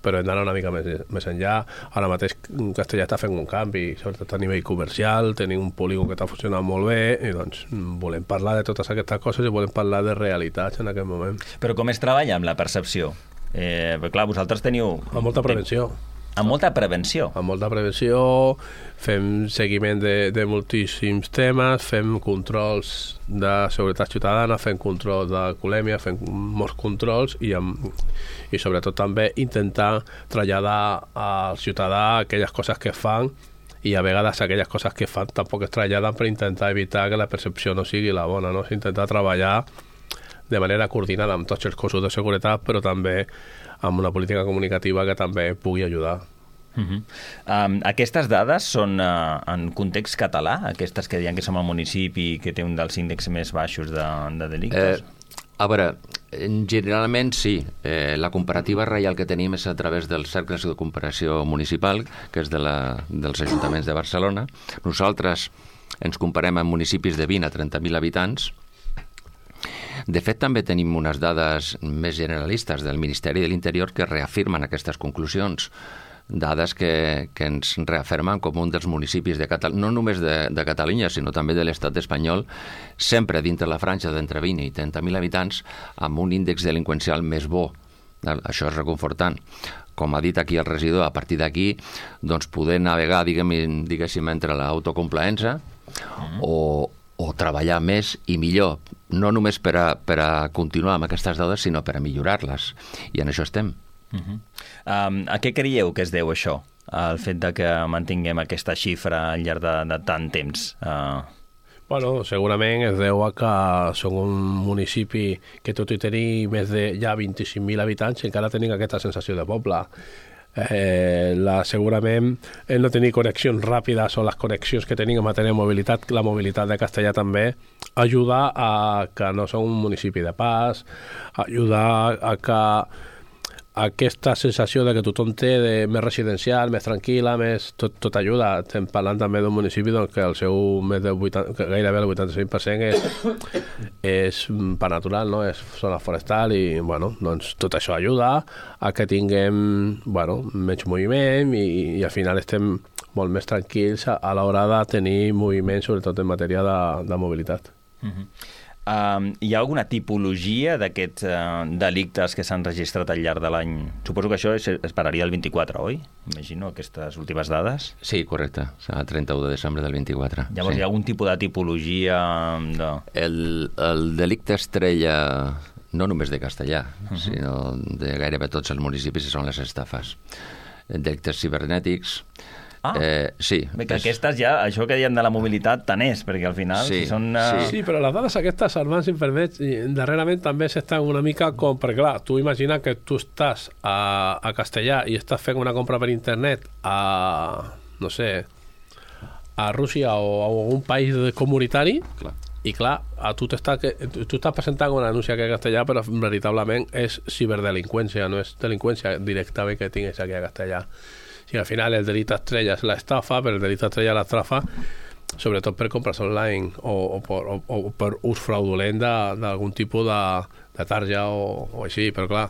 però hem d'anar una mica més, més enllà. Ara mateix Castellà està fent un canvi, sobretot a nivell comercial, tenim un polígon que està funcionant molt bé, i doncs volem parlar de totes aquestes coses i volem parlar de realitats en aquest moment. Però com es treballa amb la percepció? Eh, perquè, clar, vosaltres teniu... Amb molta prevenció. Amb molta prevenció. Amb molta prevenció, fem seguiment de, de moltíssims temes, fem controls de seguretat ciutadana, fem control d'alcoholèmia, fem molts controls i, amb, i sobretot també intentar traslladar al ciutadà aquelles coses que fan, i a vegades aquelles coses que fan tampoc es traslladen per intentar evitar que la percepció no sigui la bona, no? S'intenta treballar de manera coordinada amb tots els cossos de seguretat, però també amb una política comunicativa que també pugui ajudar. Uh-huh. Um, aquestes dades són uh, en context català? Aquestes que diuen que som al municipi que té un dels índexs més baixos de, de delictes? Eh, a veure, generalment sí. Eh, la comparativa real que tenim és a través dels cercles de comparació municipal, que és de la, dels ajuntaments de Barcelona. Nosaltres ens comparem amb municipis de vint a trenta mil habitants. De fet, també tenim unes dades més generalistes del Ministeri de l'Interior que reafirmen aquestes conclusions, dades que, que ens reafirmen com un dels municipis de Catalunya, no només de, de Catalunya, sinó també de l'estat espanyol, sempre dintre la franja d'entre vint i trenta mil habitants, amb un índex delinqüencial més bo. Això és reconfortant. Com ha dit aquí el regidor, a partir d'aquí doncs, poder navegar, diguem, diguéssim, entre l'autocomplaença mm. o o treballar més i millor, no només per a, per a continuar amb aquestes dades, sinó per a millorar-les. I en això estem. Uh-huh. um, a què creieu que es deu això? El fet de que mantinguem aquesta xifra al llarg de, de tant temps? Uh... Bueno, segurament es deu a que som un municipi que tot i tenir més de ja vint-i-cinc mil habitants encara tenim aquesta sensació de poble. Eh, la, segurament el no tenir connexions ràpides o les connexions que tenim en matèria de mobilitat, la mobilitat de Castellà també ajuda a que no som un municipi de pas, ajuda a que aquesta sensació de que tothom té de més residencial, més tranquil·la, més, tot, tot ajuda. Estem parlant també d'un municipi doncs, que el seu més de vuitanta, que gairebé el vuitanta-cinc per cent és, és per natural, no? És zona forestal i bueno, doncs, tot això ajuda a que tinguem bueno, menys moviment i, i al final estem molt més tranquils a, a l'hora de tenir moviment, sobretot en matèria de, de mobilitat. Uh-huh. Uh, hi ha alguna tipologia d'aquests uh, delictes que s'han registrat al llarg de l'any? Suposo que això es, es pararia el vint-i-quatre, oi? Imagino, aquestes últimes dades. Sí, correcte. El trenta-u de desembre del vint-i-quatre. Llavors sí. Hi ha algun tipus de tipologia? De... El, el delicte estrella, no només de Castellà, uh-huh. sinó de gairebé tots els municipis, són les estafes. Delictes cibernètics, Ah, eh, sí. Bé, que és... aquestes ja, això que diem de la mobilitat, tant és, perquè al final sí, si són... Uh... Sí. sí, però les dades aquestes, Armand, si em permets, darrerament també s'estan una mica com... Perquè clar, tu imagina que tu estàs a, a Castellà i estàs fent una compra per internet a, no sé, a Rússia o a algun país comunitari, clar. I clar, a tu, t'està, tu estàs presentant una denúncia aquí a Castellà, però veritablement és ciberdelinqüència, no és delinqüència directament que tinguis aquí a Castellà. Sí, al final el delito estrella és l'estafa, però el delito estrella és l'estafa sobretot per compres online o, o, per, o, o per ús fraudulent d'algun tipus de, de tarja o, o així, però clar,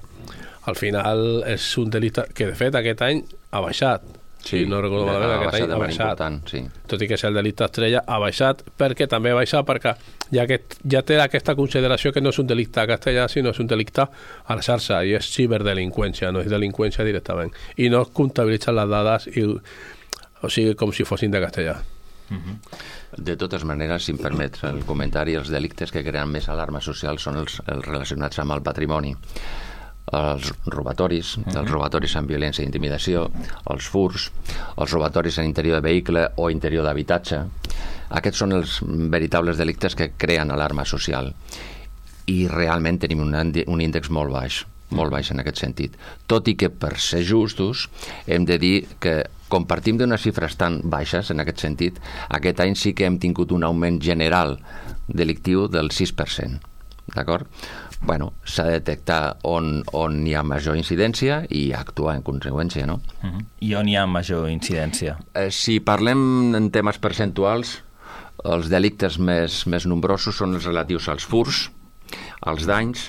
al final és un delicte que de fet aquest any ha baixat. Sí, no recordo malament, aquest any ha baixat. Sí. Tot i que és el delicte estrella, ha baixat, perquè també ha baixat perquè ja, que, ja té aquesta consideració que no és un delicte a Castellà, sinó és un delicte a la xarxa, i és ciberdelinqüència, no és delinqüència directament. I no es comptabilitzen les dades, i, o sigui, com si fossin de Castellà. Uh-huh. De totes maneres, si em permets el comentari, els delictes que creen més alarma social són els, els relacionats amb el patrimoni. Els robatoris, uh-huh. els robatoris amb violència i intimidació, els furs, els robatoris en interior de vehicle o interior d'habitatge. Aquests són els veritables delictes que creen alarma social. I realment tenim un, un índex molt baix, molt baix en aquest sentit. Tot i que, per ser justos, hem de dir que compartim d'unes xifres tan baixes en aquest sentit, aquest any sí que hem tingut un augment general delictiu del sis per cent. D'acord? Bueno, s'ha de detectar on, on hi ha major incidència i actuar en conseqüència, no? Uh-huh. I on hi ha major incidència? Eh, si parlem en temes percentuals, els delictes més, més nombrosos són els relatius als furs, als danys,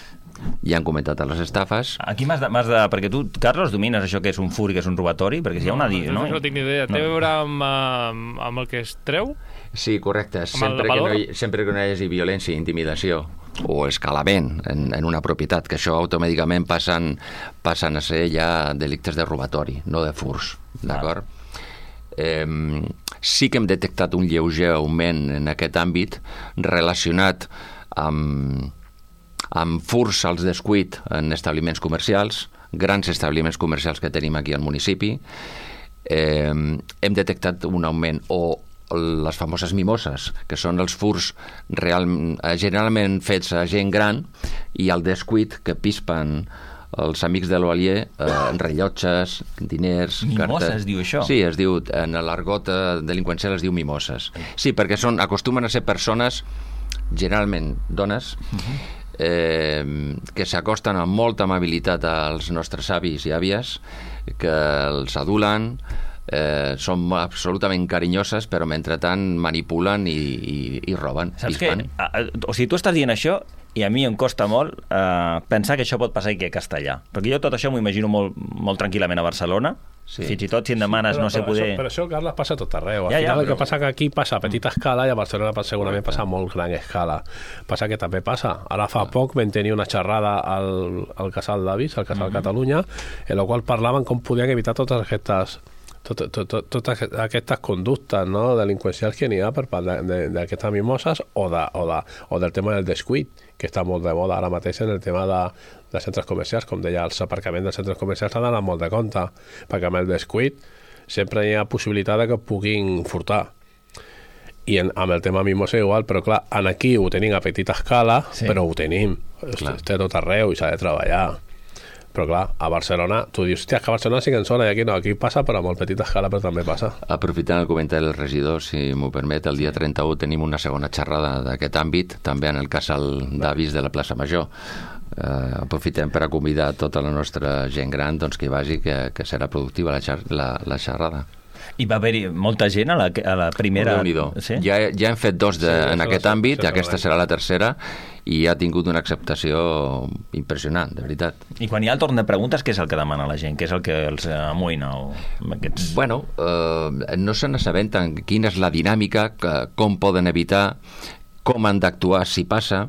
ja han comentat a les estafes. Aquí m'has de, m'has de... Perquè tu, Carlos, domines això que és un fur i que és un robatori? Perquè si hi ha una... No, no, no tinc ni idea. Té no. a veure amb, amb, amb el que es treu? Sí, correcte. Sempre que, no hi, sempre que no hi hagi violència, intimidació o escalament en, en una propietat, que això automàticament passen, passen a ser ja delictes de robatori, no de furs, d'acord? Ah. Eh, sí que hem detectat un lleuger augment en aquest àmbit relacionat amb, amb furs als descuit en establiments comercials, grans establiments comercials que tenim aquí al municipi. Eh, hem detectat un augment o les famoses mimoses, que són els furs real, generalment fets a gent gran i al descuit que pispen els amics de l'Oalier, eh, rellotges, diners... Mimoses, cartes. Es diu això? Sí, es diu, en l'argot delinqüencial es diu mimoses. Sí, perquè són, acostumen a ser persones, generalment dones, uh-huh. eh, que s'acosten amb molta amabilitat als nostres avis i àvies, que els adulen, Eh, són absolutament carinyoses, però mentrestant manipulen i, i, i roben. Saps què? O sigui, tu estàs dient això i a mi em costa molt eh, pensar que això pot passar aquí a Castellà. Perquè jo tot això m'ho imagino molt, molt tranquil·lament a Barcelona. Sí. Fins i tot si em demanes sí, però, no sé poder... Això, però això, Carles, passa a tot arreu. Al ja, final ja, el però... que passa que aquí passa a petita escala i a Barcelona segurament passa a molt gran escala. Passa que també passa. Ara fa poc vam tenir una xerrada al, al Casal d'Avis, al Casal mm-hmm. Catalunya, en la qual parlaven com podien evitar totes aquestes totes tot, tot, tot aquestes conductes, no, delinqüencials que n'hi ha per part d'aquestes mimoses o, de, o, de, o del tema del descuit, que està molt de moda ara mateix en el tema de, de centres comercials. Com deia, els aparcaments dels centres comercials s'han d'anar molt de compte, perquè amb el descuit sempre hi ha possibilitat de que puguin furtar. I en, amb el tema mimosa igual, però clar, en aquí ho tenim a petita escala, sí. però ho tenim, té tot arreu i s'ha de treballar. Però clar, a Barcelona, tu dius, hòstia, que a Barcelona sí que en sona, i aquí no, aquí passa, però a molt petita escala, però també passa. Aprofitant el comentari del regidor, si m'ho permet, el dia trenta-u tenim una segona xerrada d'aquest àmbit, també en el Casal d'Avis de la plaça Major. Eh, aprofitem per a convidar tota la nostra gent gran doncs, que hi vagi, que, que serà productiva la, xer la, la xerrada. I va haver-hi molta gent a la, a la primera... Sí? Ja, ja hem fet dos de, sí, en aquest la, àmbit, aquesta serà la tercera, i ha tingut una acceptació impressionant, de veritat. I quan hi ha el torn de preguntes, què és el que demana la gent? Què és el que els amoïna? O aquests... Bueno, eh, no se n'assabenten quina és la dinàmica, que, com poden evitar, com han d'actuar si passa,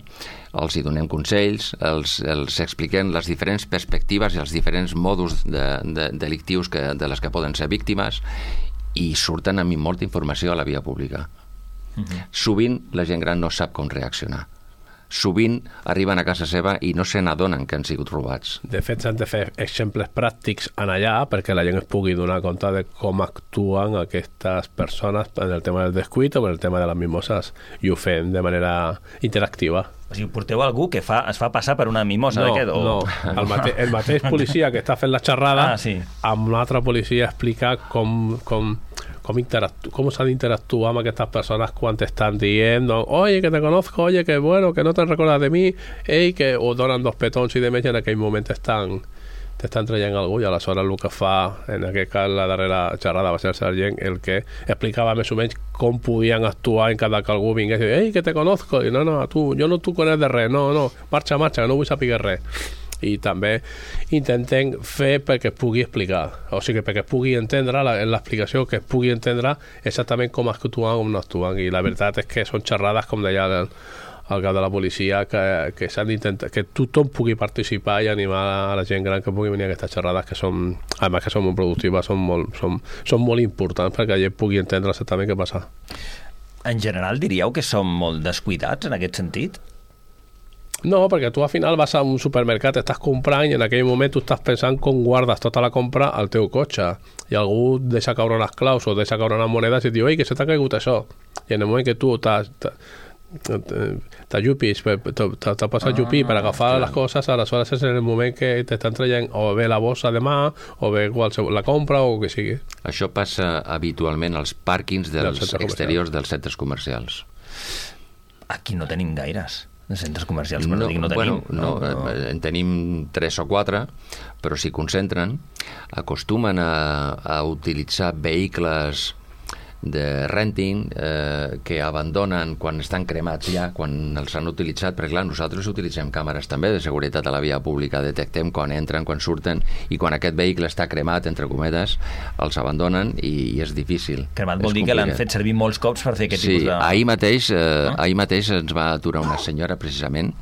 els hi donem consells, els, els expliquem les diferents perspectives i els diferents modus de, de, delictius que, de les que poden ser víctimes, i surten amb molta informació a la via pública. Uh-huh. Sovint la gent gran no sap com reaccionar. sovint arriben a casa seva i no se n'adonen que han sigut robats. De fet, s'han de fer exemples pràctics en allà perquè la gent es pugui donar compte de com actuen aquestes persones en el tema del descuit o en el tema de les mimoses, i ho fem de manera interactiva. O sigui, porteu algú que fa, es fa passar per una mimosa no, d'aquest? O... No, el, mate, el mateix policia que està fent la xerrada ah, sí. amb un altre policia explica com, com, com, com s'ha d'interactuar amb aquestes persones quan t'estan dient oye, que te conozco, oye, que bueno, que no te recordas de mi, ei, que o donen dos petons i de més, i en aquell moment estan t'estan traient algú, i aleshores el que fa en aquest cas la darrera xerrada va ser el sergent el que explicava més o menys com podien actuar en cada que algú vingués i ei, que te conozco, i no, no, tu, jo no t'ho conec de res, no, no, marxa, marxa, no vull saber res. I també intentem fer perquè es pugui explicar, o sigui, perquè es pugui entendre en l'explicació, que es pugui entendre exactament com actuen o com no actuen, i la veritat és que són xerrades, com deia el al cap de la policia, que, que s'han d'intentar que tothom pugui participar i animar a la gent gran que pugui venir a aquestes xerrades, que són, a més que són molt productives, són molt, són, són molt importants perquè la gent pugui entendre exactament què passa. En general diríeu que som molt descuidats en aquest sentit? No, perquè tu al final vas a un supermercat, estàs comprant i en aquell moment tu estàs pensant com guardes tota la compra al teu cotxe, i algú deixa caure unes claus o deixa caure unes monedes i et diu, ei, que se t'ha caigut això, i en el moment que tu t'has t'ajupis, t'ha passat ajupir per agafar les coses, aleshores és en el moment que t'estan traient o bé la bossa de mà o bé la compra o que sigui. Això passa habitualment als pàrquings dels exteriors dels centres comercials. Aquí no tenim gaires de centres comercials, però no, no, no tenim. Bueno, no, no, no. En tenim tres o quatre, però s'hi concentren, acostumen a, a utilitzar vehicles de renting eh, que abandonen quan estan cremats ja, quan els han utilitzat, perquè clar, nosaltres utilitzem càmeres també de seguretat a la via pública, detectem quan entren, quan surten, i quan aquest vehicle està cremat, entre cometes, els abandonen i, i és difícil. Cremat vol dir que l'han fet servir molts cops per fer aquest sí, tipus de... Sí, ahir mateix, eh, ah? ahir mateix ens va aturar una senyora, precisament,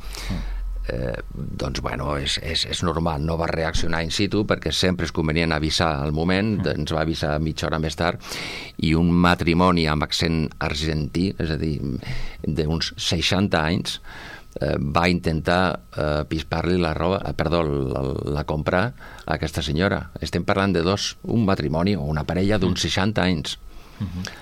Eh, doncs bueno, és, és, és normal, no va reaccionar in situ perquè sempre és convenient avisar al moment, mm. ens va avisar mitja hora més tard, i un matrimoni amb accent argentí, és a dir, d'uns seixanta anys, eh, va intentar eh, pispar-li la roba, eh, perdó, la, la compra a aquesta senyora. Estem parlant de dos, un matrimoni o una parella d'uns seixanta anys. Mm-hmm.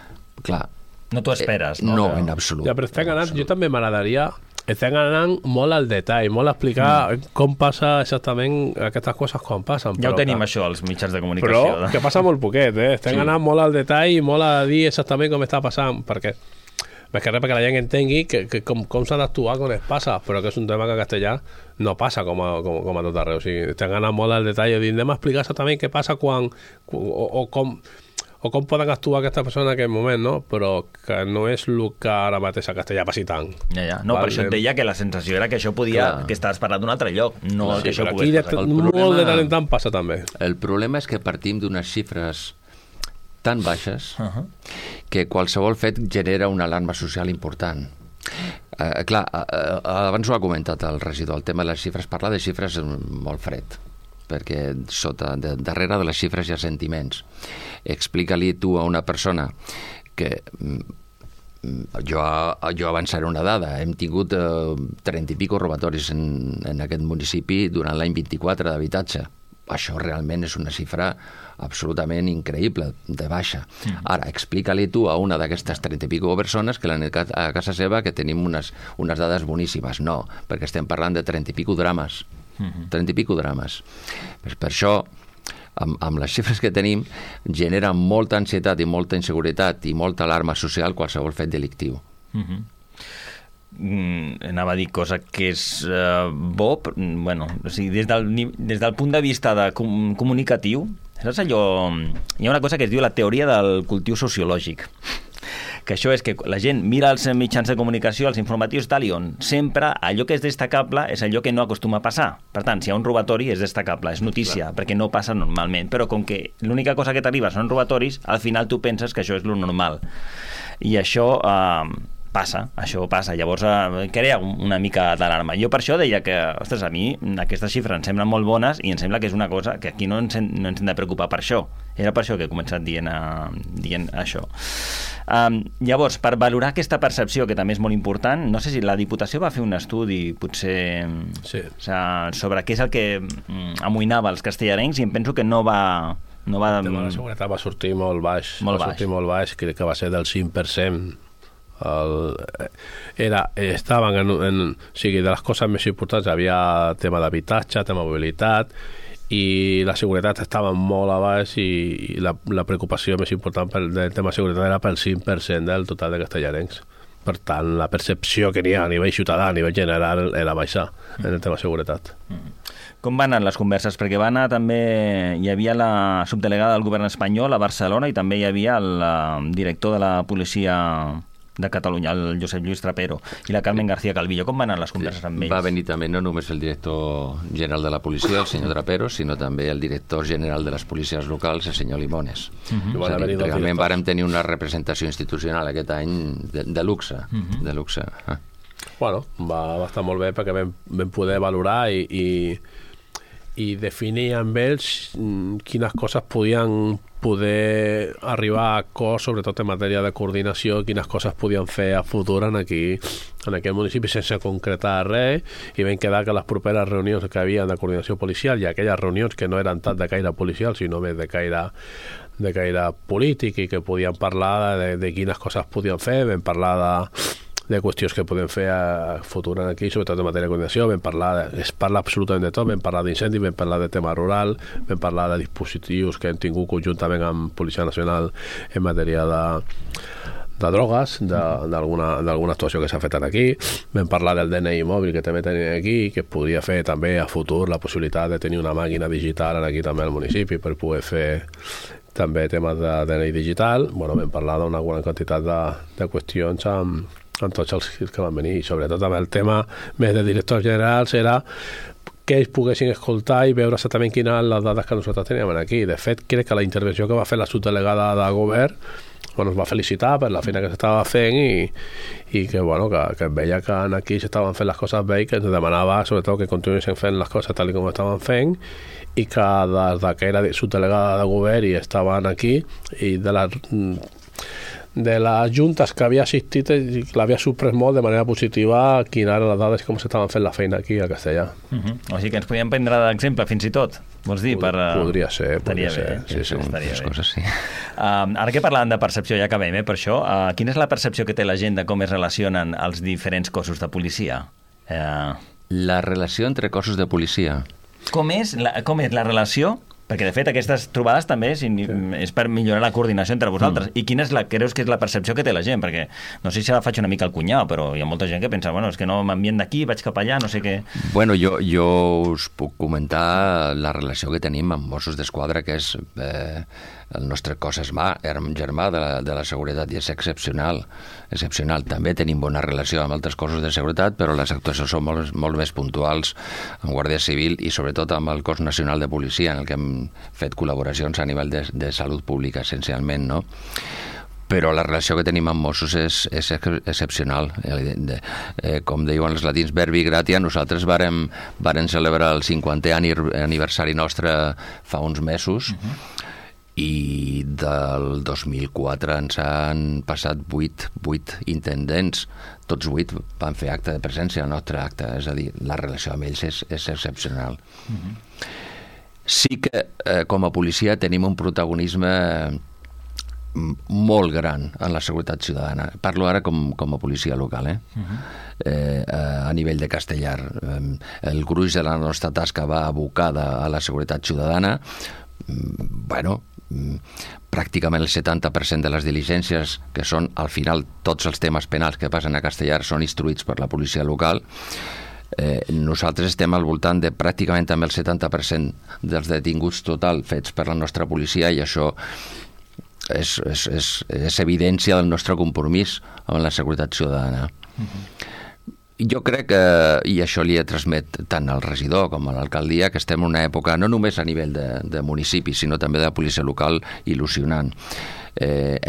Clar. No t'ho esperes, no? No, en absolut. Ja, però estem anant, jo també m'agradaria estem anant molt al detall, molt a explicar mm. com passa exactament aquestes coses quan passen. Ja però, ho tenim, que... això, als mitjans de comunicació. Però que passa molt poquet, eh? Estem sí. anant molt al detall i molt a dir exactament com està passant, perquè més que res perquè la gent entengui que, que com, com s'ha d'actuar quan es passa, però que és un tema que a castellà no passa com a, com, com a tot arreu. O sigui, estem anant molt al detall i dir, anem a explicar exactament què passa quan, o, o com... o com poden actuar aquesta persona en aquest moment, no? Però que no és el que ara mateix a castellà passi tant. Ja, ja. No, vale. Per això et deia que la sensació era que això podia... Clar. Que estaves parlant d'un altre lloc, no sí, que això pogués passar. Aquí molt problema, de tant en tant passa també. El problema és que partim d'unes xifres tan baixes uh -huh. que qualsevol fet genera una alarma social important. Uh, clar, uh, uh, abans ho ha comentat el regidor, el tema de les xifres, parlar de xifres és molt fred, perquè sota, de, darrere de les xifres hi ha sentiments. Explica-li tu a una persona que jo, jo avançaré una dada, hem tingut eh, trenta i pico robatoris en, en aquest municipi durant l'any vint-i-quatre d'habitatge. Això realment és una xifra absolutament increïble, de baixa. Mm. Ara, explica-li tu a una d'aquestes trenta i pico persones que l'han a casa seva que tenim unes, unes dades boníssimes. No, perquè estem parlant de trenta i pico drames. Mm-hmm. trenta i pico drames. Per, per això, amb, amb les xifres que tenim, genera molta ansietat i molta inseguretat i molta alarma social qualsevol fet delictiu. Mm-hmm. Mm, anava a dir cosa que és uh, bo, bueno, o sigui, des del, des del punt de vista de com, comunicatiu, saps allò? Hi ha una cosa que es diu la teoria del cultiu sociològic, que això és que la gent mira els mitjans de comunicació, els informatius tal, i on sempre allò que és destacable és allò que no acostuma a passar. Per tant, si hi ha un robatori és destacable, és notícia, clar, perquè no passa normalment, però com que l'única cosa que t'arriba són robatoris, al final tu penses que això és lo normal. I això... Eh, passa, això passa. Llavors eh, crea una mica d'alarma. Jo per això deia que, ostres, a mi aquestes xifres em semblen molt bones i em sembla que és una cosa que aquí no ens, no ens hem de preocupar per això. Era per això que he començat dient, uh, dient això. Um, llavors, per valorar aquesta percepció, que també és molt important, no sé si la Diputació va fer un estudi, potser, sí. o sigui, sobre què és el que um, amoïnava els castellarencs, i em penso que no va... No va... El tema de la seguretat va sortir molt baix. Molt va baix. sortir molt baix, crec que va ser del cinc per cent. El, era, estaven en, en, o sigui, de les coses més importants havia tema d'habitatge, tema de mobilitat, i la seguretat estava molt a baix, i, i la, la preocupació més important pel, del tema de seguretat era pel cinc per cent del total de castellarencs. Per tant, la percepció que n'hi ha a nivell ciutadà, a nivell general, era baixar en el tema de seguretat. Com van anar les converses? Perquè va anar també... Hi havia la subdelegada del govern espanyol a Barcelona, i també hi havia el director de la policia de Catalunya, el Josep Lluís Trapero, i la Carmen García Calvillo. Com van anar les converses amb ells? Va venir també no només el director general de la policia, el senyor Trapero, sinó també el director general de les policies locals, el senyor Limones. Uh-huh. És a dir, realment vàrem tenir una representació institucional aquest any de, de luxe. Uh-huh. De luxe. Ah. Bueno, va, va estar molt bé perquè vam, vam poder valorar i, i, i definir amb ells quines coses podien poder arribar a acord, sobretot en matèria de coordinació, quines coses podien fer a futur en, aquí, en aquest municipi sense concretar res, i vam quedar que les properes reunions que havia de coordinació policial, i aquelles reunions que no eren tant de caire policial, sinó més de caire, de caire polític, i que podien parlar de, de quines coses podien fer, vam parlar de de qüestions que podem fer a futur aquí, sobretot en matèria de coordinació. Vam parlar, de, es parla absolutament de tot, vam parlar d'incendis, vam parlar de tema rural, vam parlar de dispositius que hem tingut conjuntament amb Policia Nacional en matèria de, de drogues, d'alguna actuació que s'ha fet aquí. Vam parlar del D N I mòbil que també tenim aquí, que es podria fer també a futur la possibilitat de tenir una màquina digital aquí també al municipi per poder fer també temes de D N I digital. Bueno, vam parlar d'una bona quantitat de, de qüestions amb amb tots els que van venir, i sobretot amb el tema més de directors generals era que ells poguessin escoltar i veure exactament quines eren les dades que nosaltres teníem aquí. De fet, crec que la intervenció que va fer la subdelegada de govern, bueno, es va felicitar per la feina que s'estava fent, i, i que, bueno, que, que veia que aquí s'estaven fent les coses bé, i que ens demanava sobretot que continuessin fent les coses tal com estaven fent, i que des de que era subdelegada de govern i estaven aquí, i de la de les juntes que havia assistit, l'havia sorprès molt de manera positiva quines eren les dades i com s'estaven fent la feina aquí a Castellà. Uh-huh. O sigui que ens podíem prendre d'exemple fins i tot, vols dir? Per, uh... Podria ser, podria ser. Bé, sí, sí, estaria bé. Coses, sí. Uh, ara que parlàvem de percepció, ja acabem, eh, per això, uh, quina és la percepció que té la gent de com es relacionen els diferents cossos de policia? Uh... La relació entre cossos de policia. Com és la, com és la relació? Perquè, de fet, aquestes trobades també és, és per millorar la coordinació entre vosaltres. Mm. I quina és la, creus que és la percepció que té la gent? Perquè no sé si la faig una mica al cunyau, però hi ha molta gent que pensa, bueno, és que no m'envien d'aquí, vaig cap allà, no sé què... Bueno, jo, jo us puc comentar la relació que tenim amb Mossos d'Esquadra, que és eh, el nostre cos esmà, germà de la, de la seguretat, i és excepcional. excepcional. També tenim bona relació amb altres cossos de seguretat, però les actuacions són molt, molt més puntuals amb Guàrdia Civil i sobretot amb el Cos Nacional de Policia, en el que hem fet col·laboracions a nivell de, de salut pública, essencialment, no? Però la relació que tenim amb Mossos és, és excepcional. Eh, com diuen els latins, verbi gratia, nosaltres vàrem, vàrem celebrar el cinquantè aniversari nostre fa uns mesos, uh-huh. i del dos mil quatre ens han passat vuit, vuit intendents, tots vuit van fer acte de presència al nostre acte, és a dir, la relació amb ells és, és excepcional. Uh-huh. Sí que eh, com a policia tenim un protagonisme molt gran en la seguretat ciutadana. Parlo ara com, com a policia local, eh? Uh-huh. eh, a nivell de Castellar. El gruix de la nostra tasca va abocada a la seguretat ciutadana. Bueno, pràcticament el setanta per cent de les diligències, que són al final tots els temes penals que passen a Castellar, són instruïts per la policia local. Eh, nosaltres estem al voltant de pràcticament també el setanta per cent dels detinguts total fets per la nostra policia, i això és, és, és, és evidència del nostre compromís amb la seguretat ciutadana. Uh-huh. Jo crec que, i això li he transmet tant al regidor com a l'alcaldia, que estem en una època, no només a nivell de, de municipi, sinó també de la policia local, il·lusionant. eh,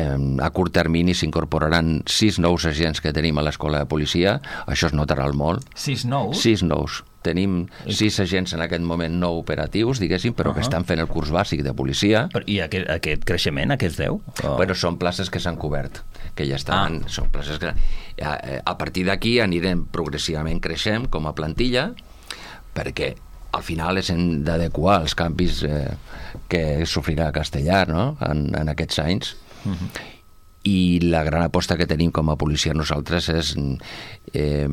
a curt termini s'incorporaran sis nous agents que tenim a l'escola de policia. Això es notarà molt. Sis nous? Sis nous. Tenim sis agents en aquest moment no operatius, diguéssim, però uh -huh. que estan fent el curs bàsic de policia. Però, I aquest, aquest creixement, aquests deu? Oh. Bueno, són places que s'han cobert, que ja estaven... Ah. Són places que... A, a partir d'aquí anirem progressivament creixent com a plantilla, perquè al final és hem d'adequar els canvis eh, que sofrirà Castellar, no?, en, en aquests anys. Uh -huh. I la gran aposta que tenim com a policia nosaltres és... Eh,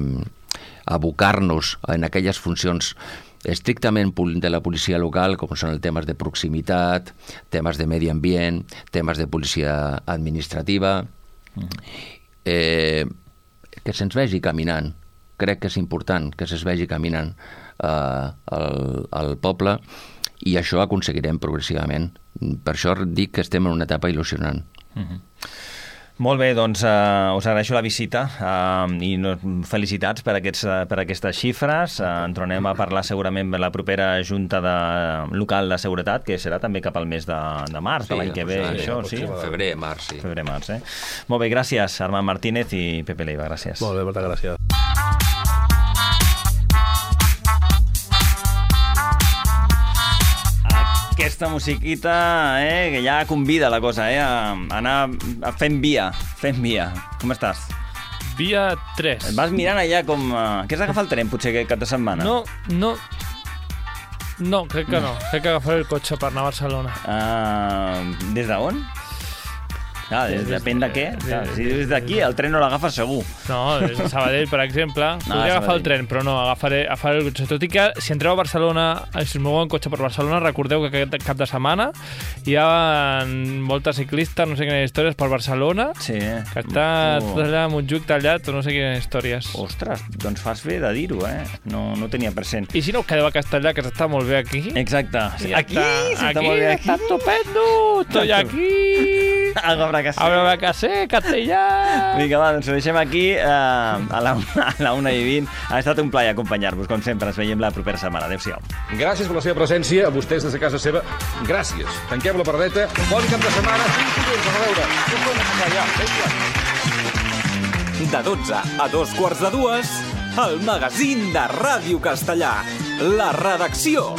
abocar-nos en aquelles funcions estrictament de la policia local, com són els temes de proximitat, temes de medi ambient, temes de policia administrativa, eh, que se'ns vegi caminant. Crec que és important que se'ns vegi caminant eh, al, al poble, i això aconseguirem progressivament. Per això dic que estem en una etapa il·lusionant. Uh-huh. Molt bé, doncs uh, us agraeixo la visita uh, i no, felicitats per, aquests, uh, per aquestes xifres. Uh, en tornem a parlar segurament per la propera Junta de, local de seguretat, que serà també cap al mes de, de març, sí, de l'any que ve. Sí, això, sí? Febrer, març, sí. Febrer, març, eh? Molt bé, gràcies, Armand Martínez i Pepe Leiva, gràcies. Molt bé, moltes gràcies. Aquesta musiquita, eh, que ja convida la cosa, eh, a anar fent via, fent via. Com estàs? Via tres. Et vas mirant allà com... Uh, que has d'agafar el tren, potser, aquest cap de setmana? No, no... No, crec que no. Crec que agafaré el cotxe per anar a Barcelona. Uh, des d'on? Clar, des, depèn de què. Clar, si des d'aquí, el tren no l'agafes segur. No, des de Sabadell, per exemple. No, podria agafar el tren, però no, agafaré, agafaré el cotxe. Tot i que, si entreu a Barcelona, si us moveu en cotxe per Barcelona, recordeu que aquest cap de setmana hi ha moltes ciclistes, no sé quines històries, per Barcelona, sí, que està oh. tot allà, Montjuïc tallat, o no sé quines històries. Ostres, doncs fas bé de dir-ho, eh? No, no tenia present. I si no, quedeu a Castellà, que s'està molt bé aquí. Exacte. Sí, aquí s'està molt bé. Aquí, està estupendo, estoy aquí. Algo habrá que hacer. Habrá que hacer, castellà. Vinga, va, doncs ho deixem aquí eh, a, la una, a la una i vint. Ha estat un plaer acompanyar-vos, com sempre. Ens veiem la propera setmana. Adéu-siau. Gràcies per la seva presència, a vostès des de casa seva. Gràcies. Tanquem la paradeta. Bon cap de setmana. A veure. De dotze a dos quarts de dues, el magazín de Ràdio Castellà. La redacció.